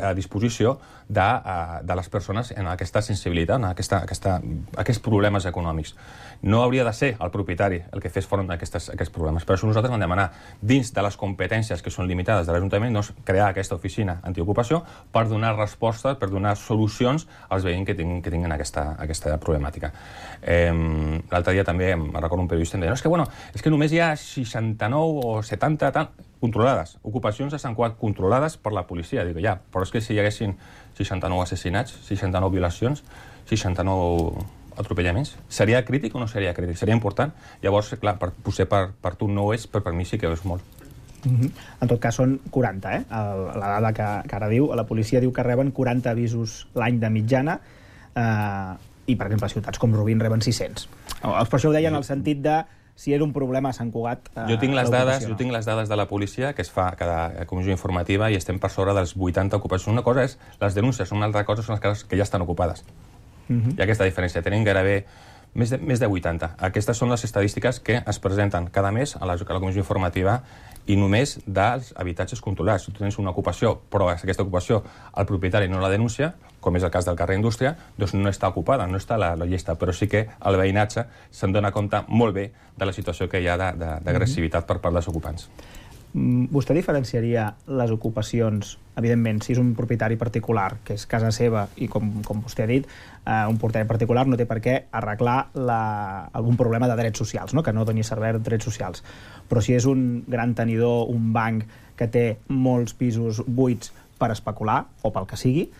a disposició de les persones en aquesta sensibilitat, en aquests problemes econòmics. No hauria de ser el propietari el que fes front a aquests problemes. Per això nosaltres vam demanar, dins de les competències que són limitades de l'Ajuntament, crear aquesta oficina antiocupació per donar respostes, per donar solucions als veïns que tinguin aquesta problemàtica. L'altre dia també, recordo un periodista, em deia, és que només hi ha 69 o 70 controlades, ocupacions a Sant Cugat controlades per la policia. Dic, ja, però és que si hi haguessin 69 assassinats, 69 violacions, 69 atropellaments, seria crític o no seria crític? Seria important? Llavors, clar, potser per tu no és, però per mi sí que és molt. En tot cas, són 40, la dada que ara diu. La policia diu que reben 40 avisos l'any de mitjana i, per exemple, ciutats com Rubín reben 600. Per això ho deia en el sentit de si era un problema a Sant Cugat. Jo tinc les dades de la policia que es fa cada comissió informativa i estem per sobre dels 80 ocupacions. Una cosa és les denúncies, una altra cosa són les cases que ja estan ocupades. Hi ha aquesta diferència. Tenim gairebé més de 80. Aquestes són les estadístiques que es presenten cada mes a la comissió informativa i només dels habitatges controlats. Si tu tens una ocupació, però aquesta ocupació el propietari no la denuncia, com és el cas del carrer Indústria, doncs no està ocupada, no està a la llista, però sí que el veïnatge se'n dona compte molt bé de la situació que hi ha d'agressivitat per part dels ocupants. Vostè diferenciaria les ocupacions, evidentment, si és un propietari particular, que és casa seva, i com vostè ha dit, un propietari particular no té per què arreglar algun problema de drets socials, que no doni servei de drets socials. Però si és un gran tenidor, un banc que té molts pisos buits per especular, o pel que sigui,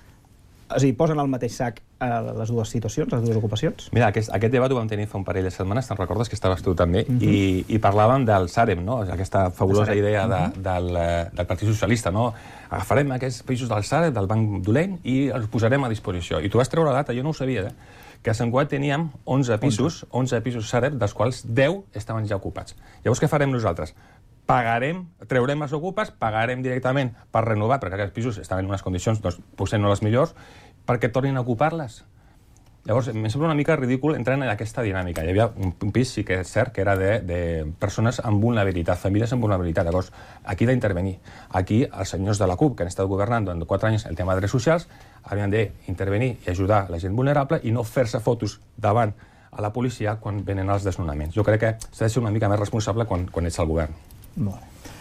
és a dir, posen al mateix sac les dues situacions, les dues ocupacions? Mira, aquest debat ho vam tenir fa un parell de setmanes, te'n recordes que estaves tu també, i parlàvem del Sareb, aquesta fabulosa idea del Partit Socialista. Agafarem aquests pisos del Sareb, del Banc Dolent, i els posarem a disposició. I tu vas treure la data, jo no ho sabia, que a Sant Cugat teníem 11 pisos Sareb, dels quals 10 estaven ja ocupats. Llavors, què farem nosaltres? Treurem els ocupes, pagarem directament per renovar, perquè aquests pisos estaven en unes condicions, potser no les millors, perquè tornin a ocupar-les. Llavors, em sembla una mica ridícul entrar en aquesta dinàmica. Hi havia un pis, sí que és cert, que era de persones amb vulnerabilitat, famílies amb vulnerabilitat. Llavors, aquí d'intervenir. Aquí, els senyors de la CUP, que han estat governant durant 4 anys el tema de drets socials, havien d'intervenir i ajudar la gent vulnerable i no fer-se fotos davant a la policia quan venen els desnonaments. Jo crec que s'ha de ser una mica més responsable quan ets al govern. Molt bé.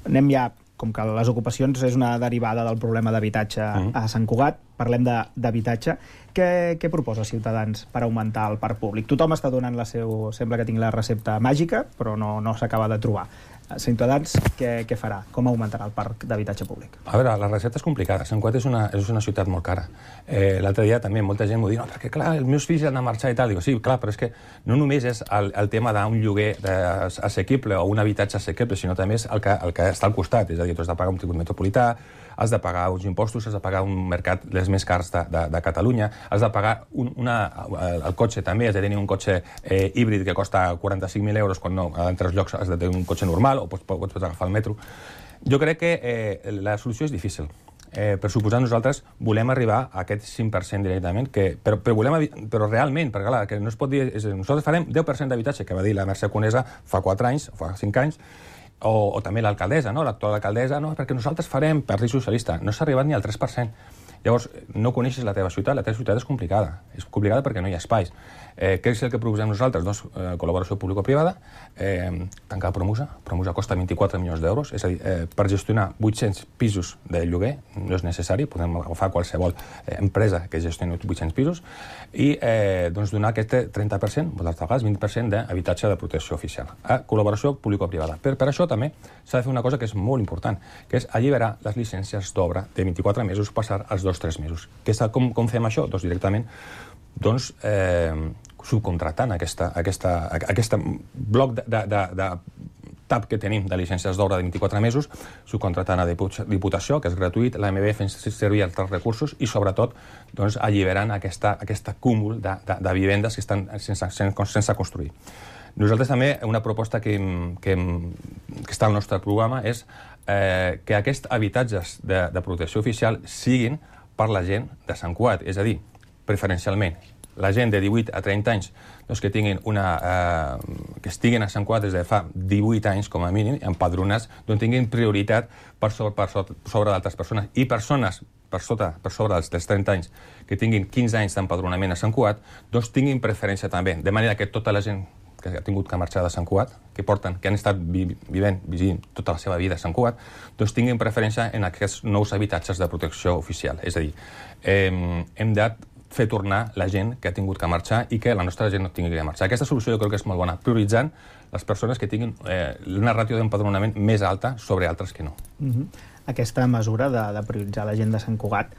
Anem ja, com que les ocupacions és una derivada del problema d'habitatge a Sant Cugat, parlem d'habitatge. Què proposa Ciutadans per augmentar el parc públic? Tothom està donant sembla que tingui la recepta màgica, però no s'acaba de trobar. Ciutadans, què farà? Com augmentarà el parc d'habitatge públic? A veure, la recepta és complicada. Sant Cugat és una ciutat molt cara. L'altre dia també molta gent m'ho diu, perquè clar, els meus fills han de marxar i tal. Dic, sí, clar, però és que no només és el tema d'un lloguer assequible o un habitatge assequible, sinó també és el que està al costat. És a dir, tu has de pagar un tribut metropolità, has de pagar uns impostos, has de pagar un mercat dels més cars de Catalunya, has de pagar el cotxe també, has de tenir un cotxe híbrid que costa 45.000 euros, quan no, en 3 llocs has de tenir un cotxe normal o pots agafar el metro. Jo crec que la solució és difícil. Per suposar, nosaltres volem arribar a aquest 5% directament, però realment, perquè clar, que no es pot dir, nosaltres farem 10% d'habitatge, que va dir la Mercè Conesa fa 4 anys, fa 5 anys, o també l'alcaldessa, l'actual alcaldessa, perquè nosaltres farem Partit Socialista. No s'ha arribat ni al 3%. Llavors, no coneixes la teva ciutat és complicada. És complicada perquè no hi ha espais. Què és el que proposem nosaltres? Doncs col·laboració público-privada, tancar Promusa. Promusa costa 24 milions d'euros, és a dir, per gestionar 800 pisos de lloguer no és necessari, podem agafar qualsevol empresa que gestioni 800 pisos i donar aquest 30%, moltes vegades 20% d'habitatge de protecció oficial. Col·laboració público-privada. Per això també s'ha de fer una cosa que és molt important, que és alliberar les llicències d'obra de 24 mesos, passar als 2-3 mesos. Com fem això? Doncs directament subcontratant aquest bloc de TAP que tenim de llicències d'obra de 24 mesos, subcontratant a Diputació, que és gratuït, l'AMB fent servir altres recursos i, sobretot, alliberant aquest cúmul de vivendes que estan sense construir. Nosaltres també, una proposta que està al nostre programa és que aquests habitatges de protecció oficial siguin per la gent de Sant Cugat, és a dir, preferencialment, la gent de 18 a 30 anys que tinguin que estiguin a Sant Cugat des de fa 18 anys, com a mínim, empadronats, tinguin prioritat per sobre d'altres persones. I persones per sobre dels 30 anys que tinguin 15 anys d'empadronament a Sant Cugat, tinguin preferència també. De manera que tota la gent que ha tingut que marxar de Sant Cugat, que han estat vivint tota la seva vida a Sant Cugat, tinguin preferència en aquests nous habitatges de protecció oficial. És a dir, hem de fer tornar la gent que ha tingut que marxar i que la nostra gent no tingui que marxar. Aquesta solució jo crec que és molt bona, prioritzant les persones que tinguin una ràtio d'empadronament més alta sobre altres que no. Aquesta mesura de prioritzar la gent de Sant Cugat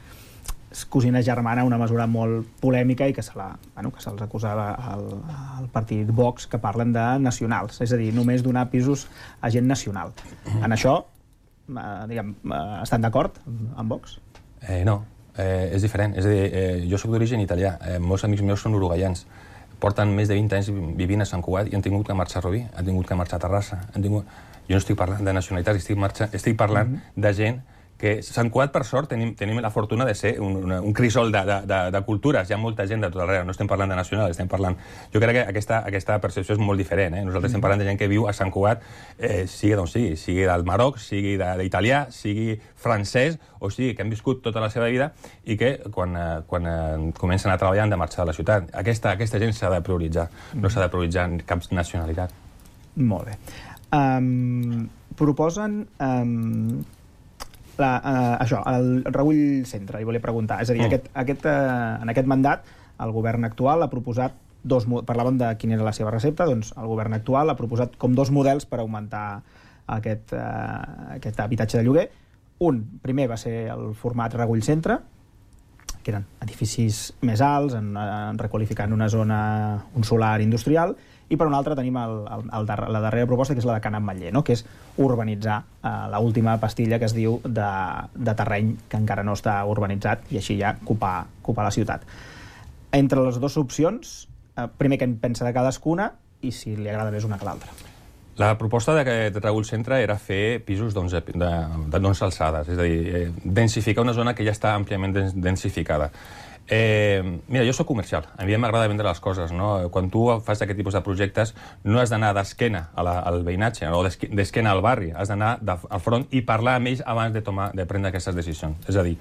és cosina germana, una mesura molt polèmica i que se'ls acusava al partit Vox, que parlen de nacionals, és a dir, només donar pisos a gent nacional. En això, estan d'acord amb Vox? No. És diferent, és a dir, jo soc d'origen italià, molts amics meus són uruguaians, porten més de 20 anys vivint a Sant Cugat i han tingut que marxar a Rubí, han tingut que marxar a Terrassa. Jo no estic parlant de nacionalitats, estic parlant de gent que Sant Cugat, per sort, tenim la fortuna de ser un crisol de cultures. Hi ha molta gent de tot arreu, no estem parlant de nacional, estem parlant... Jo crec que aquesta percepció és molt diferent. Nosaltres estem parlant de gent que viu a Sant Cugat, sigui d'on sigui, sigui del Marroc, sigui d'italià, sigui francès, o sigui que han viscut tota la seva vida i que quan comencen a treballar han de marxar de la ciutat. Aquesta gent s'ha de prioritzar, no s'ha de prioritzar cap nacionalitat. Molt bé. Proposen... Això, el Regull Centre, li volia preguntar. És a dir, en aquest mandat, el govern actual ha proposat parlàvem de quina era la seva recepta, doncs el govern actual ha proposat com 2 models per augmentar aquest habitatge de lloguer. Un, primer, va ser el format Regull Centre, que eren edificis més alts, requalificant una zona, un solar industrial, i per un altre tenim la darrera proposta, que és la de Can Ametller, que és urbanitzar l'última pastilla que es diu de terreny que encara no està urbanitzat i així ja ocupar la ciutat. Entre les dues opcions, primer què en pensa de cadascuna i si li agrada més una que l'altra. La proposta d'aquest Regull Centre era fer pisos d'11 alçades, és a dir, densificar una zona que ja està àmpliament densificada. Mira, jo soc comercial, a mi m'agrada vendre les coses, no? Quan tu fas aquest tipus de projectes no has d'anar d'esquena al veïnatge o d'esquena al barri, has d'anar al front i parlar amb ells abans de prendre aquestes decisions. És a dir,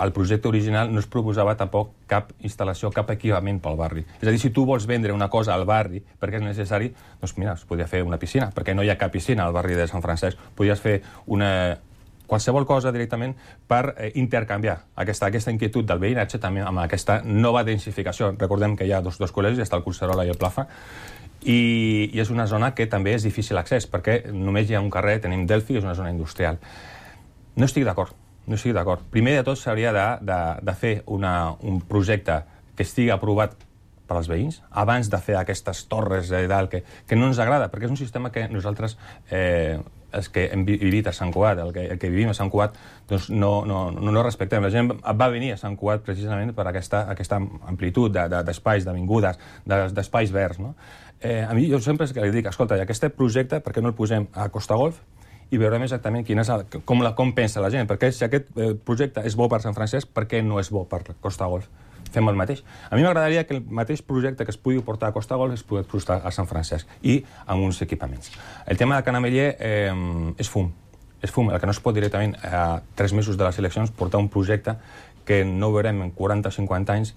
el projecte original no es proposava tampoc cap instal·lació, cap equipament pel barri. És a dir, si tu vols vendre una cosa al barri perquè és necessari, doncs mira, es podria fer una piscina, perquè no hi ha cap piscina al barri de Sant Francesc. Podries fer qualsevol cosa directament per intercanviar aquesta inquietud del veïnatge també amb aquesta nova densificació. Recordem que hi ha dos col·legis, està el Collserola i el Plaza, i és una zona que també és difícil accés, perquè només hi ha un carrer, tenim Delphi, és una zona industrial. No estic d'acord. Primer de tot s'hauria de fer un projecte que estigui aprovat per als veïns, abans de fer aquestes torres de dalt que no ens agrada, perquè és un sistema que nosaltres, els que hem vivit a Sant Cugat, el que vivim a Sant Cugat, doncs no respectem. La gent va venir a Sant Cugat precisament per aquesta amplitud d'espais, d'avingudes, d'espais verds. A mi jo sempre li dic, escolta, aquest projecte, per què no el posem a Costa Golf i veurem exactament com pensa la gent, perquè si aquest projecte és bo per Sant Francesc, per què no és bo per Costa Golf? Fem el mateix. A mi m'agradaria que el mateix projecte que es pugui portar a Costa Golf es pugui portar a Sant Francesc i amb uns equipaments. El tema de Can Ametller és fum. És fum. El que no es pot directament a 3 mesos de les eleccions portar un projecte que no veurem en 40 o 50 anys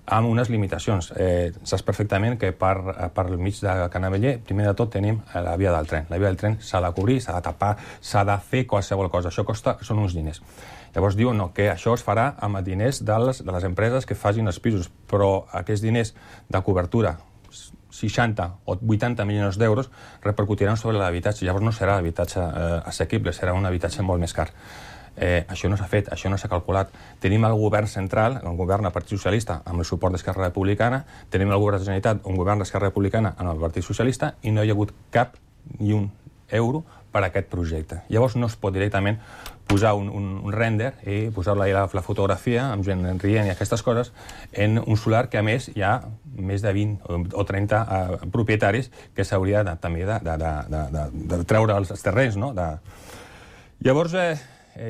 amb unes limitacions. Saps perfectament que per mig de Can Ametller, primer de tot tenim la via del tren. La via del tren s'ha de cobrir, s'ha de tapar, s'ha de fer qualsevol cosa. Això són uns diners. Llavors diuen que això es farà amb diners de les empreses que facin els pisos, però aquests diners de cobertura, 60 o 80 milions d'euros, repercutiran sobre l'habitatge. Llavors no serà l'habitatge assequible, serà un habitatge molt més car. Això no s'ha fet, això no s'ha calculat. Tenim el govern central, el govern del Partit Socialista, amb el suport d'Esquerra Republicana, tenim el govern de la Generalitat, un govern d'Esquerra Republicana amb el Partit Socialista, i no hi ha hagut cap ni un euro per a aquest projecte. Llavors no es pot directament posar un render i posar-la la fotografia amb gent rient i aquestes coses en un solar que a més hi ha més de 20 o 30 propietaris que s'hauria també de treure els terrenys. Llavors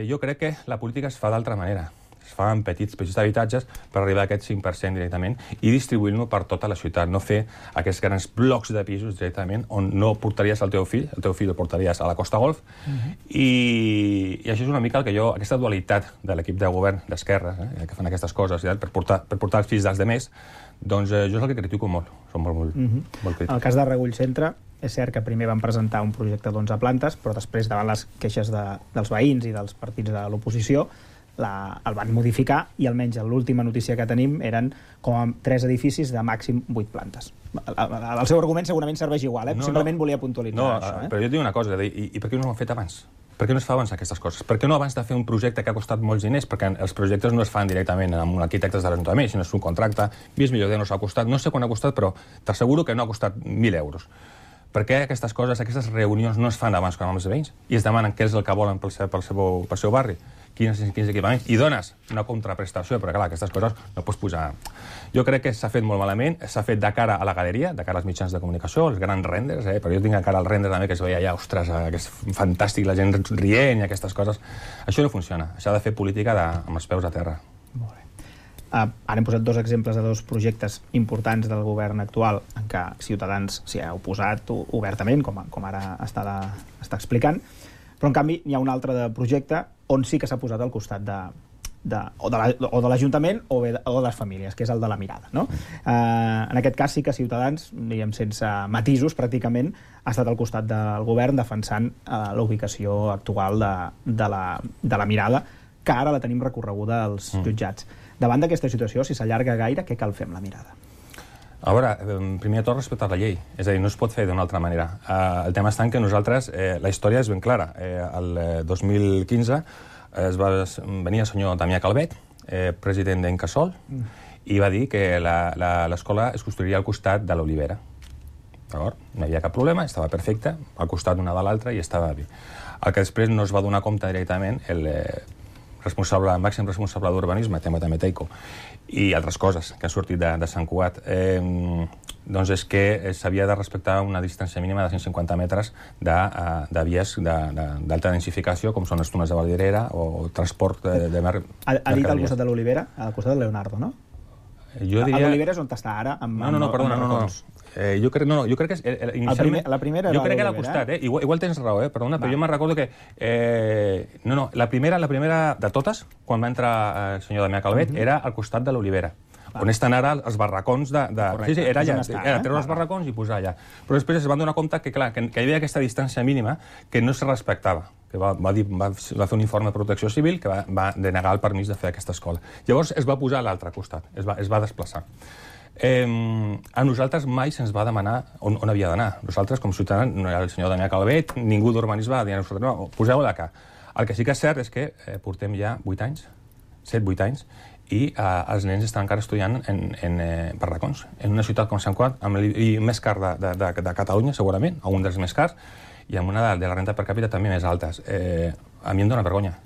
jo crec que la política es fa d'altra manera. Es fa en petits habitatges per arribar a aquest 5% directament i distribuir-lo per tota la ciutat, no fer aquests grans blocs de pisos directament on no portaries el teu fill el portaries a la Costa Golf, i això és una mica el que jo, aquesta dualitat de l'equip de govern d'esquerra, que fan aquestes coses per portar els fills dels demés, doncs jo és el que critico molt, som molt crítics. En el cas de Regull Centre, és cert que primer van presentar un projecte d'11 plantes, però després, davant les queixes dels veïns i dels partits de l'oposició, el van modificar i almenys l'última notícia que tenim eren com a 3 edificis de màxim 8 plantes. El seu argument segurament serveix igual, simplement volia puntualitzar això. Però jo et dic una cosa, i per què no ho han fet abans? Per què no es fa abans aquestes coses? Per què no abans de fer un projecte que ha costat molts diners? Perquè els projectes no es fan directament amb un arquitecte de l'Ajuntament, sinó és un contracte, 20 milions d'euros ha costat, no sé quan ha costat, però t'asseguro que no ha costat 1.000 euros. Per què aquestes coses, aquestes reunions no es fan abans amb els veïns i es demanen què és el que volen pel seu barri, quins equipaments, i dones una contraprestació, però clar, aquestes coses no pots posar... Jo crec que s'ha fet molt malament, s'ha fet de cara a la galeria, de cara als mitjans de comunicació, els grans renders, però jo tinc de cara al render també que es veia allà, ostres, que és fantàstic, la gent rient i aquestes coses. Això no funciona, s'ha de fer política amb els peus a terra. Molt bé. Ara hem posat 2 exemples de 2 projectes importants del govern actual en què Ciutadans s'hi ha oposat obertament, com ara està explicant, però en canvi hi ha un altre projecte on sí que s'ha posat al costat o de l'Ajuntament o de les famílies, que és el de la mirada. En aquest cas sí que Ciutadans, diguem sense matisos pràcticament, ha estat al costat del govern defensant la ubicació actual de la mirada, que ara la tenim recorreguda als jutjats. Davant d'aquesta situació, si s'allarga gaire, què cal fer amb la mirada? A veure, primer de tot respectar la llei, és a dir, no es pot fer d'una altra manera. El tema està en que nosaltres, la història és ben clara. El 2015 venia el senyor Damià Calvet, president d'Encasol, i va dir que l'escola es construiria al costat de l'Olivera. No hi havia cap problema, estava perfecte, al costat d'una de l'altra i estava bé. El que després no es va donar compte directament el màxim responsable d'urbanisme, també Teico, i altres coses que han sortit de Sant Cugat, doncs és que s'havia de respectar una distància mínima de 150 metres de vies d'alta densificació, com són les túnels de Valdirera o transport de mercaderies. Ha dit al costat de l'Olivera, al costat de Leonardo, no? L'Olivera és on està ara? No, perdona. Jo crec que inicialment... La primera era jo crec que era al costat, igual tens raó, perdona, però jo me'n recordo que... la primera de totes, quan va entrar el senyor Damià Calvet, era al costat de l'Olivera, on estan ara els barracons de... Sí, era allà, era treure els barracons i posar allà. Però després es van donar compte que, clar, que hi havia aquesta distància mínima que no se respectava, que va fer un informe de protecció civil que va denegar el permís de fer aquesta escola. Llavors es va posar a l'altre costat, es va desplaçar. A nosaltres mai se'ns va demanar on havia d'anar. Nosaltres, com ciutadans, no era el senyor Damià Calvet, ningú d'urbanisme va dir a nosaltres, no, poseu-ho d'acá. El que sí que és cert és que portem ja 8 anys, 7-8 anys, i els nens estan encara estudiant en barracons, en una ciutat com Sant Cugat, amb l'IBI més car de Catalunya, segurament, o un dels més cars, i amb una de la renta per càpita també més altes. A mi em dóna vergonya.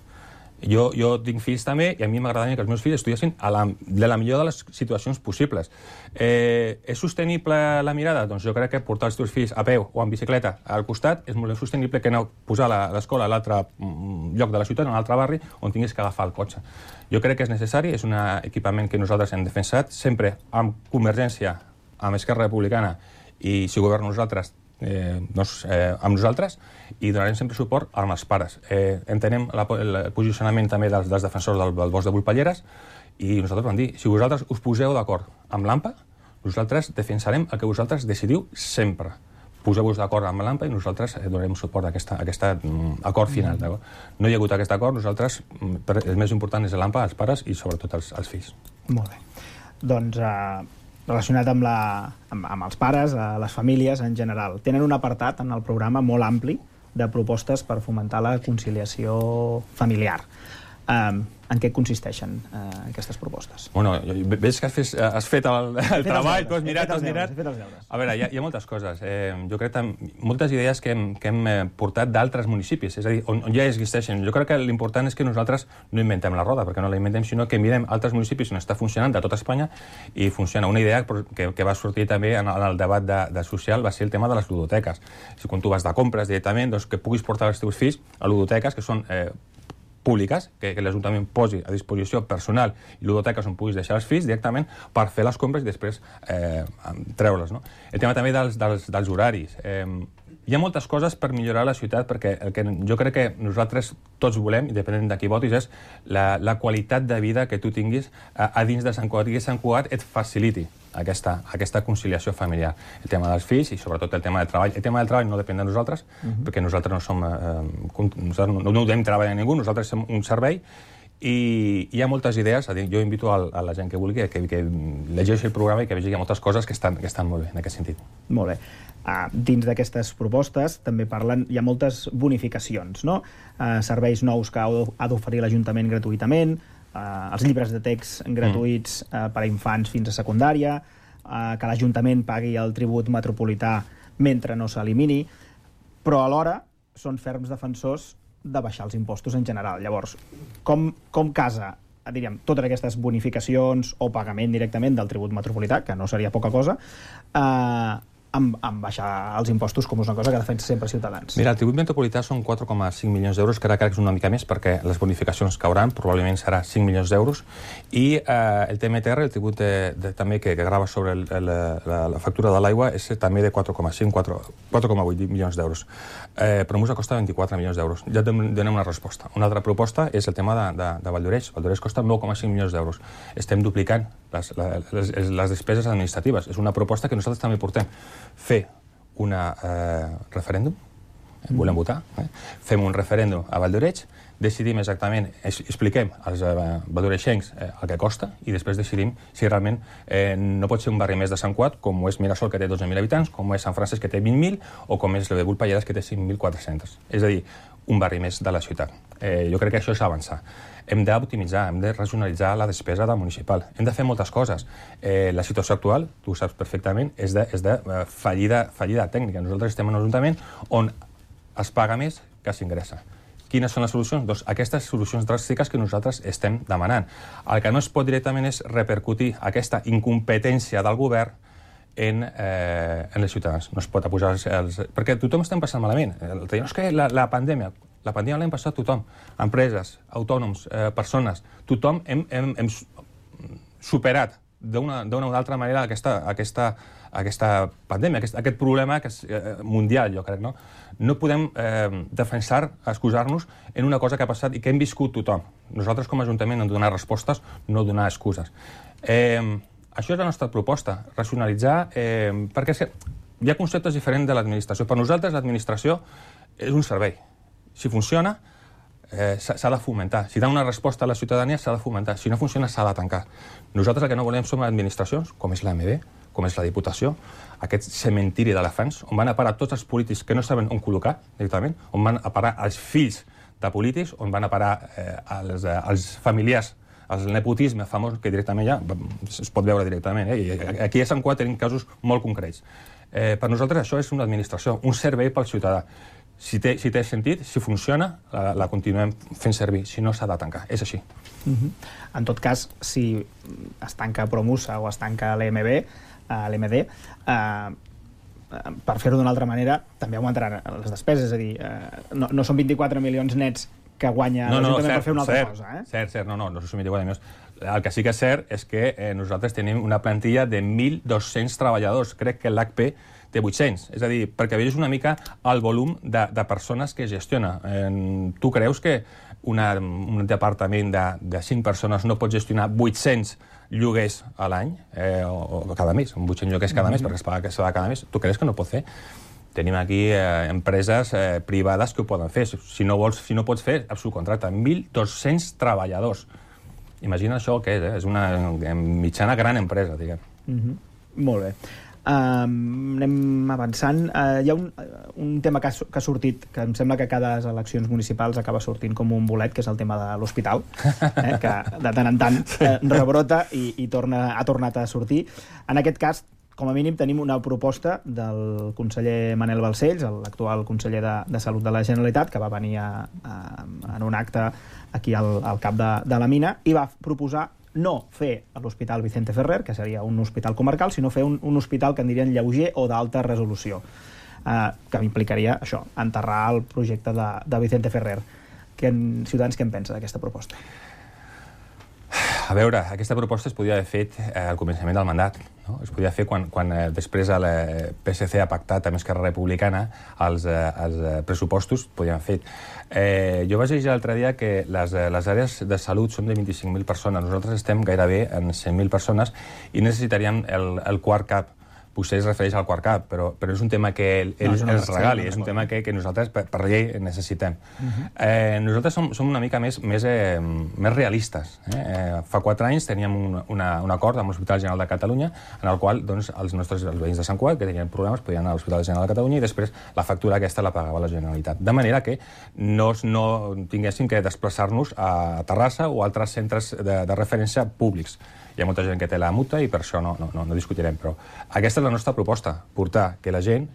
Jo tinc fills també, i a mi m'agradaria que els meus fills estudiessin de la millor de les situacions possibles. És sostenible la mirada? Doncs jo crec que portar els teus fills a peu o en bicicleta al costat és molt més sostenible que no posar l'escola a l'altre lloc de la ciutat, en un altre barri, on tinguis que agafar el cotxe. Jo crec que és necessari, és un equipament que nosaltres hem defensat, sempre amb Convergència, amb Esquerra Republicana, i si governen nosaltres, amb nosaltres, i donarem sempre suport amb els pares. Entenem el posicionament també dels defensors del bosc de Volpelleres, i nosaltres vam dir, si vosaltres us poseu d'acord amb l'AMPA, nosaltres defensarem el que vosaltres decidiu sempre. Poseu-vos d'acord amb l'AMPA i nosaltres donarem suport a aquest acord final. No hi ha hagut aquest acord, nosaltres, el més important és l'AMPA, els pares i sobretot els fills. Molt bé. Doncs relacionat amb els pares, les famílies en general. Tenen un apartat en el programa molt ampli de propostes per fomentar la conciliació familiar. En què consisteixen aquestes propostes? Bueno, veig que has fet el treball, tu has mirat. A veure, hi ha moltes coses. Jo crec que moltes idees que hem portat d'altres municipis, és a dir, on ja existeixen. Jo crec que l'important és que nosaltres no inventem la roda, perquè no la inventem, sinó que mirem altres municipis on està funcionant de tota Espanya i funciona. Una idea que va sortir també en el debat de social va ser el tema de les ludoteques. Si quan tu vas de compres directament, que puguis portar els teus fills a ludoteques, que són públiques, que l'Ajuntament posi a disposició personal i ludoteques on puguis deixar els fills directament per fer les compres i després treure-les. No? El tema també dels horaris. Hi ha moltes coses per millorar la ciutat, perquè el que jo crec que nosaltres tots volem, independent de qui votis, és la qualitat de vida que tu tinguis a dins de Sant Cugat, i que Sant Cugat et faciliti aquesta conciliació familiar. El tema dels fills i sobretot el tema del treball. El tema del treball no depèn de nosaltres, perquè nosaltres no som... no donem treball a ningú, nosaltres som un servei, i hi ha moltes idees. Jo invito a la gent que vulgui que llegeixi el programa i que vegi que hi ha moltes coses que estan molt bé en aquest sentit. Molt bé. Dins d'aquestes propostes també hi ha moltes bonificacions, no? Serveis nous que ha d'oferir l'Ajuntament gratuïtament, els llibres de text gratuïts per a infants fins a secundària, que l'Ajuntament pagui el tribut metropolità mentre no s'elimini, però alhora són ferms defensors de baixar els impostos en general. Llavors, com casa, diríem, totes aquestes bonificacions o pagament directament del tribut metropolità, que no seria poca cosa, amb baixar els impostos, com és una cosa que defensa sempre Ciutadans? Mira, el tribut metropolità són 4,5 milions d'euros, que ara crec que és una mica més perquè les bonificacions cauran, probablement serà 5 milions d'euros, i el TMTR, el tribut també que grava sobre la factura de l'aigua, és també de 4,8 milions d'euros. Però ens costa 24 milions d'euros. Ja donem una resposta. Una altra proposta és el tema de Valldoreix. Valldoreix costa 9,5 milions d'euros. Estem duplicant les despeses administratives. És una proposta que nosaltres també portem. Fer un referèndum, volem votar, fem un referèndum a Valldoreix, decidim exactament, expliquem als valldoreixencs el que costa i després decidim si realment no pot ser un barri més de Sant Cugat, com és Mirasol, que té 12.000 habitants, com és Sant Francesc, que té 20.000, o com és el de Vulpelladas, que té 5.400. És a dir, un barri més de la ciutat. Jo crec que això és avançar. Hem d'optimitzar, hem de racionalitzar la despesa municipal. Hem de fer moltes coses. La situació actual, tu ho saps perfectament, és de fallida tècnica. Nosaltres estem en un ajuntament on es paga més que s'ingressa. Quines són les solucions? Doncs aquestes solucions dràstiques que nosaltres estem demanant. El que no es pot directament és repercutir aquesta incompetència del govern en els ciutadans. No es pot apujar els... Perquè tothom estem passant malament. És que la pandèmia l'hem passat tothom. Empreses, autònoms, persones, tothom hem superat d'una o d'altra manera aquesta pandèmia, aquest problema mundial, jo crec, no? No podem excusar-nos en una cosa que ha passat i que hem viscut tothom. Nosaltres, com a Ajuntament, hem de donar respostes, no donar excuses. Això és la nostra proposta, racionalitzar, perquè hi ha conceptes diferents de l'administració. Per nosaltres, l'administració és un servei. Si funciona, s'ha de fomentar. Si dona una resposta a la ciutadania, s'ha de fomentar. Si no funciona, s'ha de tancar. Nosaltres el que no volem són administracions, com és l'AMB, com és la Diputació, aquest cementiri d'elefants, on van a parar tots els polítics que no saben on col·locar, directament, on van a parar els fills de polítics, on van a parar els familiars, el nepotisme famós, que directament ja es pot veure directament. Aquí a Sant Cugat tenim casos molt concrets. Per nosaltres això és una administració, un servei pel ciutadà. Si té sentit, si funciona, la continuem fent servir. Si no, s'ha de tancar. És així. En tot cas, si es tanca Promusa o es tanca l'EMD, per fer-ho d'una altra manera, també augmentaran les despeses. És a dir, no són 24 milions nets que guanya l'Ajuntament per fer una altra cosa. Cert, no són 24 milions. El que sí que és cert és que nosaltres tenim una plantilla de 1.200 treballadors. Crec que l'HP té 800. És a dir, perquè vegis una mica el volum de persones que gestiona. Tu creus que un departament de 5 persones no pot gestionar 800 lloguers a l'any o cada mes? 800 lloguers cada mes, perquè es paga cada mes. Tu creus que no pot fer? Tenim aquí empreses privades que ho poden fer. Si no pots fer, subcontracta. 1.200 treballadors. Imagina això què és, és una mitjana gran empresa, diguem. Molt bé. Anem avançant. Hi ha un tema que ha sortit, que em sembla que a cada eleccions municipals acaba sortint com un bolet, que és el tema de l'hospital, que de tant en tant rebrota i ha tornat a sortir. En aquest cas, com a mínim, tenim una proposta del conseller Manel Balcells, l'actual conseller de Salut de la Generalitat, que va venir en un acte aquí al cap de la mina, i va proposar no fer l'Hospital Vicente Ferrer, que seria un hospital comarcal, sinó fer un hospital que en dirien lleuger o d'alta resolució, que implicaria això, enterrar el projecte de Vicente Ferrer. Ciutadans, què en pensa d'aquesta proposta? A veure, aquesta proposta es podia haver fet al començament del mandat. No? Es podia fer quan després el PSC ha pactat amb Esquerra Republicana els pressupostos, podien haver fet. Jo vaig llegir l'altre dia que les àrees de salut són de 25.000 persones. Nosaltres estem gairebé en 100.000 persones i necessitaríem el quart cap. Potser es refereix al quart cap, però és un tema que ells ens regali, és un tema que nosaltres per llei necessitem. Nosaltres som una mica més realistes. Fa 4 anys teníem un acord amb l'Hospital General de Catalunya en el qual els veïns de Sant Cugat, que tenien problemes, podien anar a l'Hospital General de Catalunya i després la factura aquesta la pagava la Generalitat. De manera que no tinguéssim que desplaçar-nos a Terrassa o a altres centres de referència públics. Hi ha molta gent que té la multa i per això no discutirem, però aquesta és la nostra proposta, portar que la gent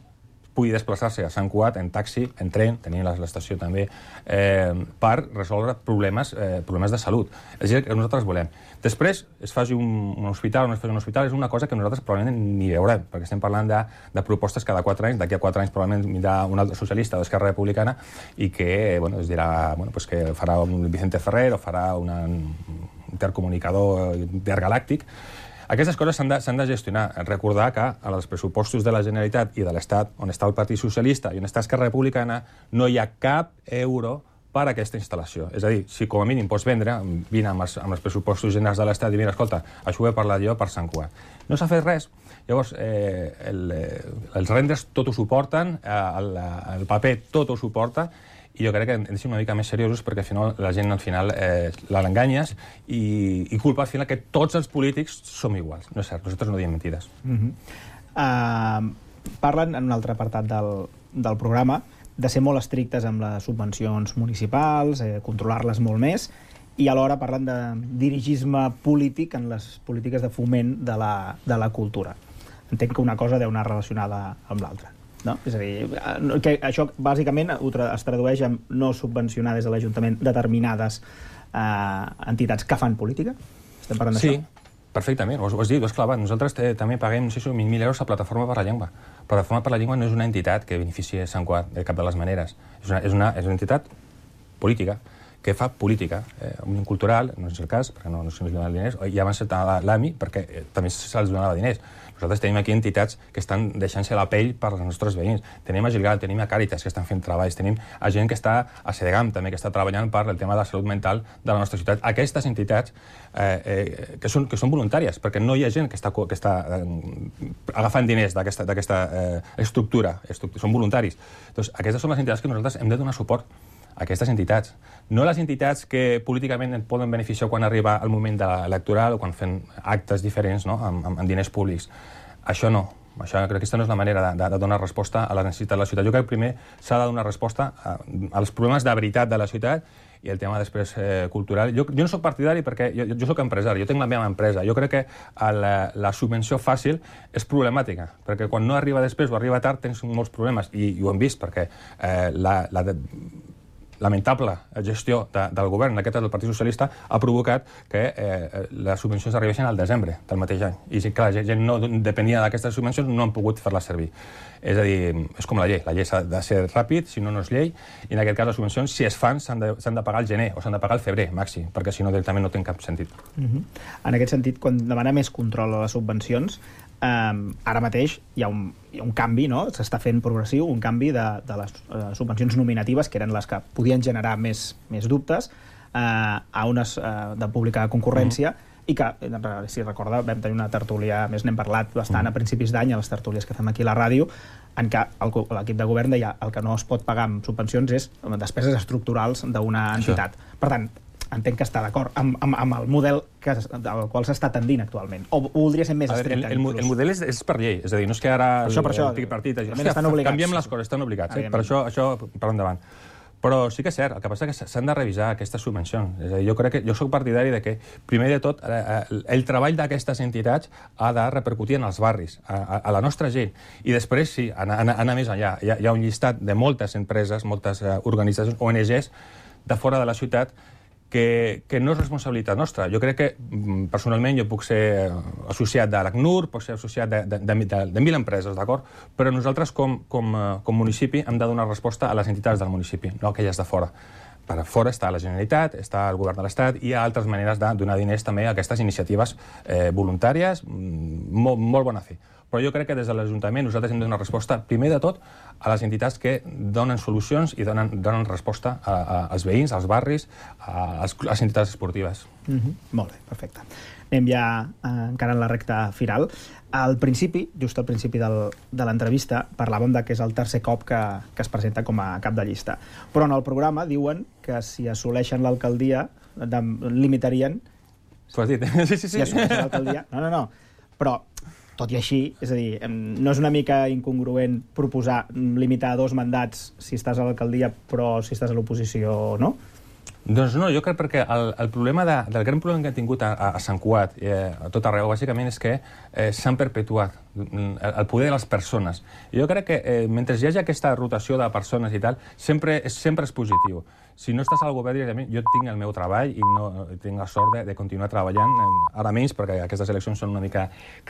pugui desplaçar-se a Sant Cugat en taxi, en tren, tenint l'estació també, per resoldre problemes de salut. És a dir, que nosaltres volem. Després, es faci un hospital o no es faci un hospital, és una cosa que nosaltres probablement ni veurem, perquè estem parlant de propostes cada 4 anys, d'aquí a 4 anys probablement vindrà un altre socialista d'Esquerra Republicana i que es dirà que farà un Vicente Ferrer o farà un intercomunicador intergalàctic. Aquestes coses s'han de gestionar. Recordar que als pressupostos de la Generalitat i de l'Estat, on està el Partit Socialista i on està Esquerra Republicana, no hi ha cap euro per a aquesta instal·lació. És a dir, si com a mínim pots vendre, vine amb els pressupostos generals de l'Estat i mira, escolta, això ho he parlat jo per Sant Cugat. No s'ha fet res. Llavors, els renders tot ho suporten, el paper tot ho suporta, i jo crec que hem de ser una mica més seriosos perquè al final la gent l'enganyes i culpa al final que tots els polítics som iguals. No és cert, nosaltres no diem mentides. Parlen en un altre apartat del programa de ser molt estrictes amb les subvencions municipals, controlar-les molt més, i alhora parlen de dirigisme polític en les polítiques de foment de la cultura. Entenc que una cosa deu anar relacionada amb l'altra. No? És a dir, que això bàsicament es tradueix en no subvencionar des de l'Ajuntament determinades entitats que fan política? Estem parlant d'això? Sí, perfectament, ho has dit, ho has clavat. Nosaltres també paguem, no sé si 20.000 euros a Plataforma per la Llengua. Plataforma per la Llengua no és una entitat que beneficia Sant Cugat de cap de les maneres. És una entitat política que fa política. Un cultural, no és el cas, perquè no se'ns donen diners, i abans l'AMI, perquè també se'ls donava diners. Nosaltres tenim aquí entitats que estan deixant-se la pell per als nostres veïns. Tenim a Gilgal, tenim a Càritas, que estan fent treballs, tenim a gent que està a Sedegam, també, que està treballant per el tema de la salut mental de la nostra ciutat. Aquestes entitats que són voluntàries, perquè no hi ha gent que està agafant diners d'aquesta estructura, són voluntaris. Doncs aquestes són les entitats que nosaltres hem de donar suport. Aquestes entitats. No les entitats que políticament et poden beneficiar quan arriba el moment electoral o quan fem actes diferents amb diners públics. Això no. Crec que aquesta no és la manera de donar resposta a les necessitats de la ciutat. Jo crec que primer s'ha de donar resposta als problemes de veritat de la ciutat i el tema després cultural. Jo no soc partidari perquè jo soc empresari, jo tinc la meva empresa. Jo crec que la subvenció fàcil és problemàtica, perquè quan no arriba després o arriba tard tens molts problemes, i ho hem vist perquè la lamentable gestió del govern, aquest del Partit Socialista, ha provocat que les subvencions arribessin al desembre del mateix any. I clar, la gent no depenia d'aquestes subvencions, no han pogut fer-les servir. És a dir, és com la llei s'ha de ser ràpid, si no, no és llei, i en aquest cas les subvencions, si es fan, s'han de pagar al gener o s'han de pagar al febrer, màxim, perquè si no, directament no té cap sentit. En aquest sentit, quan demana més control a les subvencions, ara mateix hi ha un canvi, no? S'està fent progressiu, un canvi de les subvencions nominatives, que eren les que podien generar més dubtes, a unes de pública concurrència, i que, si recorda, vam tenir una tertúlia, més n'hem parlat bastant a principis d'any, a les tertúlies que fem aquí a la ràdio, en què l'equip de govern deia el que no es pot pagar amb subvencions és despeses estructurals d'una entitat. Per tant, entenc que està d'acord amb el model al qual s'està tendint actualment. O voldria ser més estricte? El model és per llei, és a dir, no és que ara el partit... Canviem les coses, estan obligats. Per això per endavant. Però sí que és cert, el que passa és que s'han de revisar aquestes subvencions. És a dir, jo soc partidari de que, primer de tot, el treball d'aquestes entitats ha de repercutir en els barris, a la nostra gent. I després, sí, anar més enllà. Hi ha un llistat de moltes empreses, moltes organitzacions, ONGs, de fora de la ciutat, que no és responsabilitat nostra. Jo crec que, personalment, jo puc ser associat de l'ACNUR, puc ser associat de 1.000 empreses, d'acord? Però nosaltres, com municipi, hem de donar resposta a les entitats del municipi, no a aquelles de fora. per fora està la Generalitat, està el govern de l'Estat, i hi ha altres maneres de donar diners també a aquestes iniciatives voluntàries, molt bona fe. Però jo crec que des de l'Ajuntament nosaltres hem de donar resposta, primer de tot, a les entitats que donen solucions i donen resposta als veïns, als barris, a les entitats esportives. Molt bé, perfecte. Anem ja encara en la recta final. Al principi, just al principi de l'entrevista, parlàvem que és el tercer cop que es presenta com a cap de llista. Però en el programa diuen que si assoleixen l'alcaldia limitarien... T'ho has dit? Sí. Si assoleixen l'alcaldia... No. Però, tot i així, és a dir, no és una mica incongruent proposar limitar 2 mandats si estàs a l'alcaldia, però si estàs a l'oposició no? Doncs no, jo crec perquè el gran problema que han tingut a Sant Cugat, a tot arreu, bàsicament, és que s'han perpetuat el poder de les persones. I jo crec que mentre hi hagi aquesta rotació de persones i tal, sempre és positiu. Si no estàs al govern directament, jo tinc el meu treball i no tinc la sort de continuar treballant, ara menys, perquè aquestes eleccions són una mica crítiques,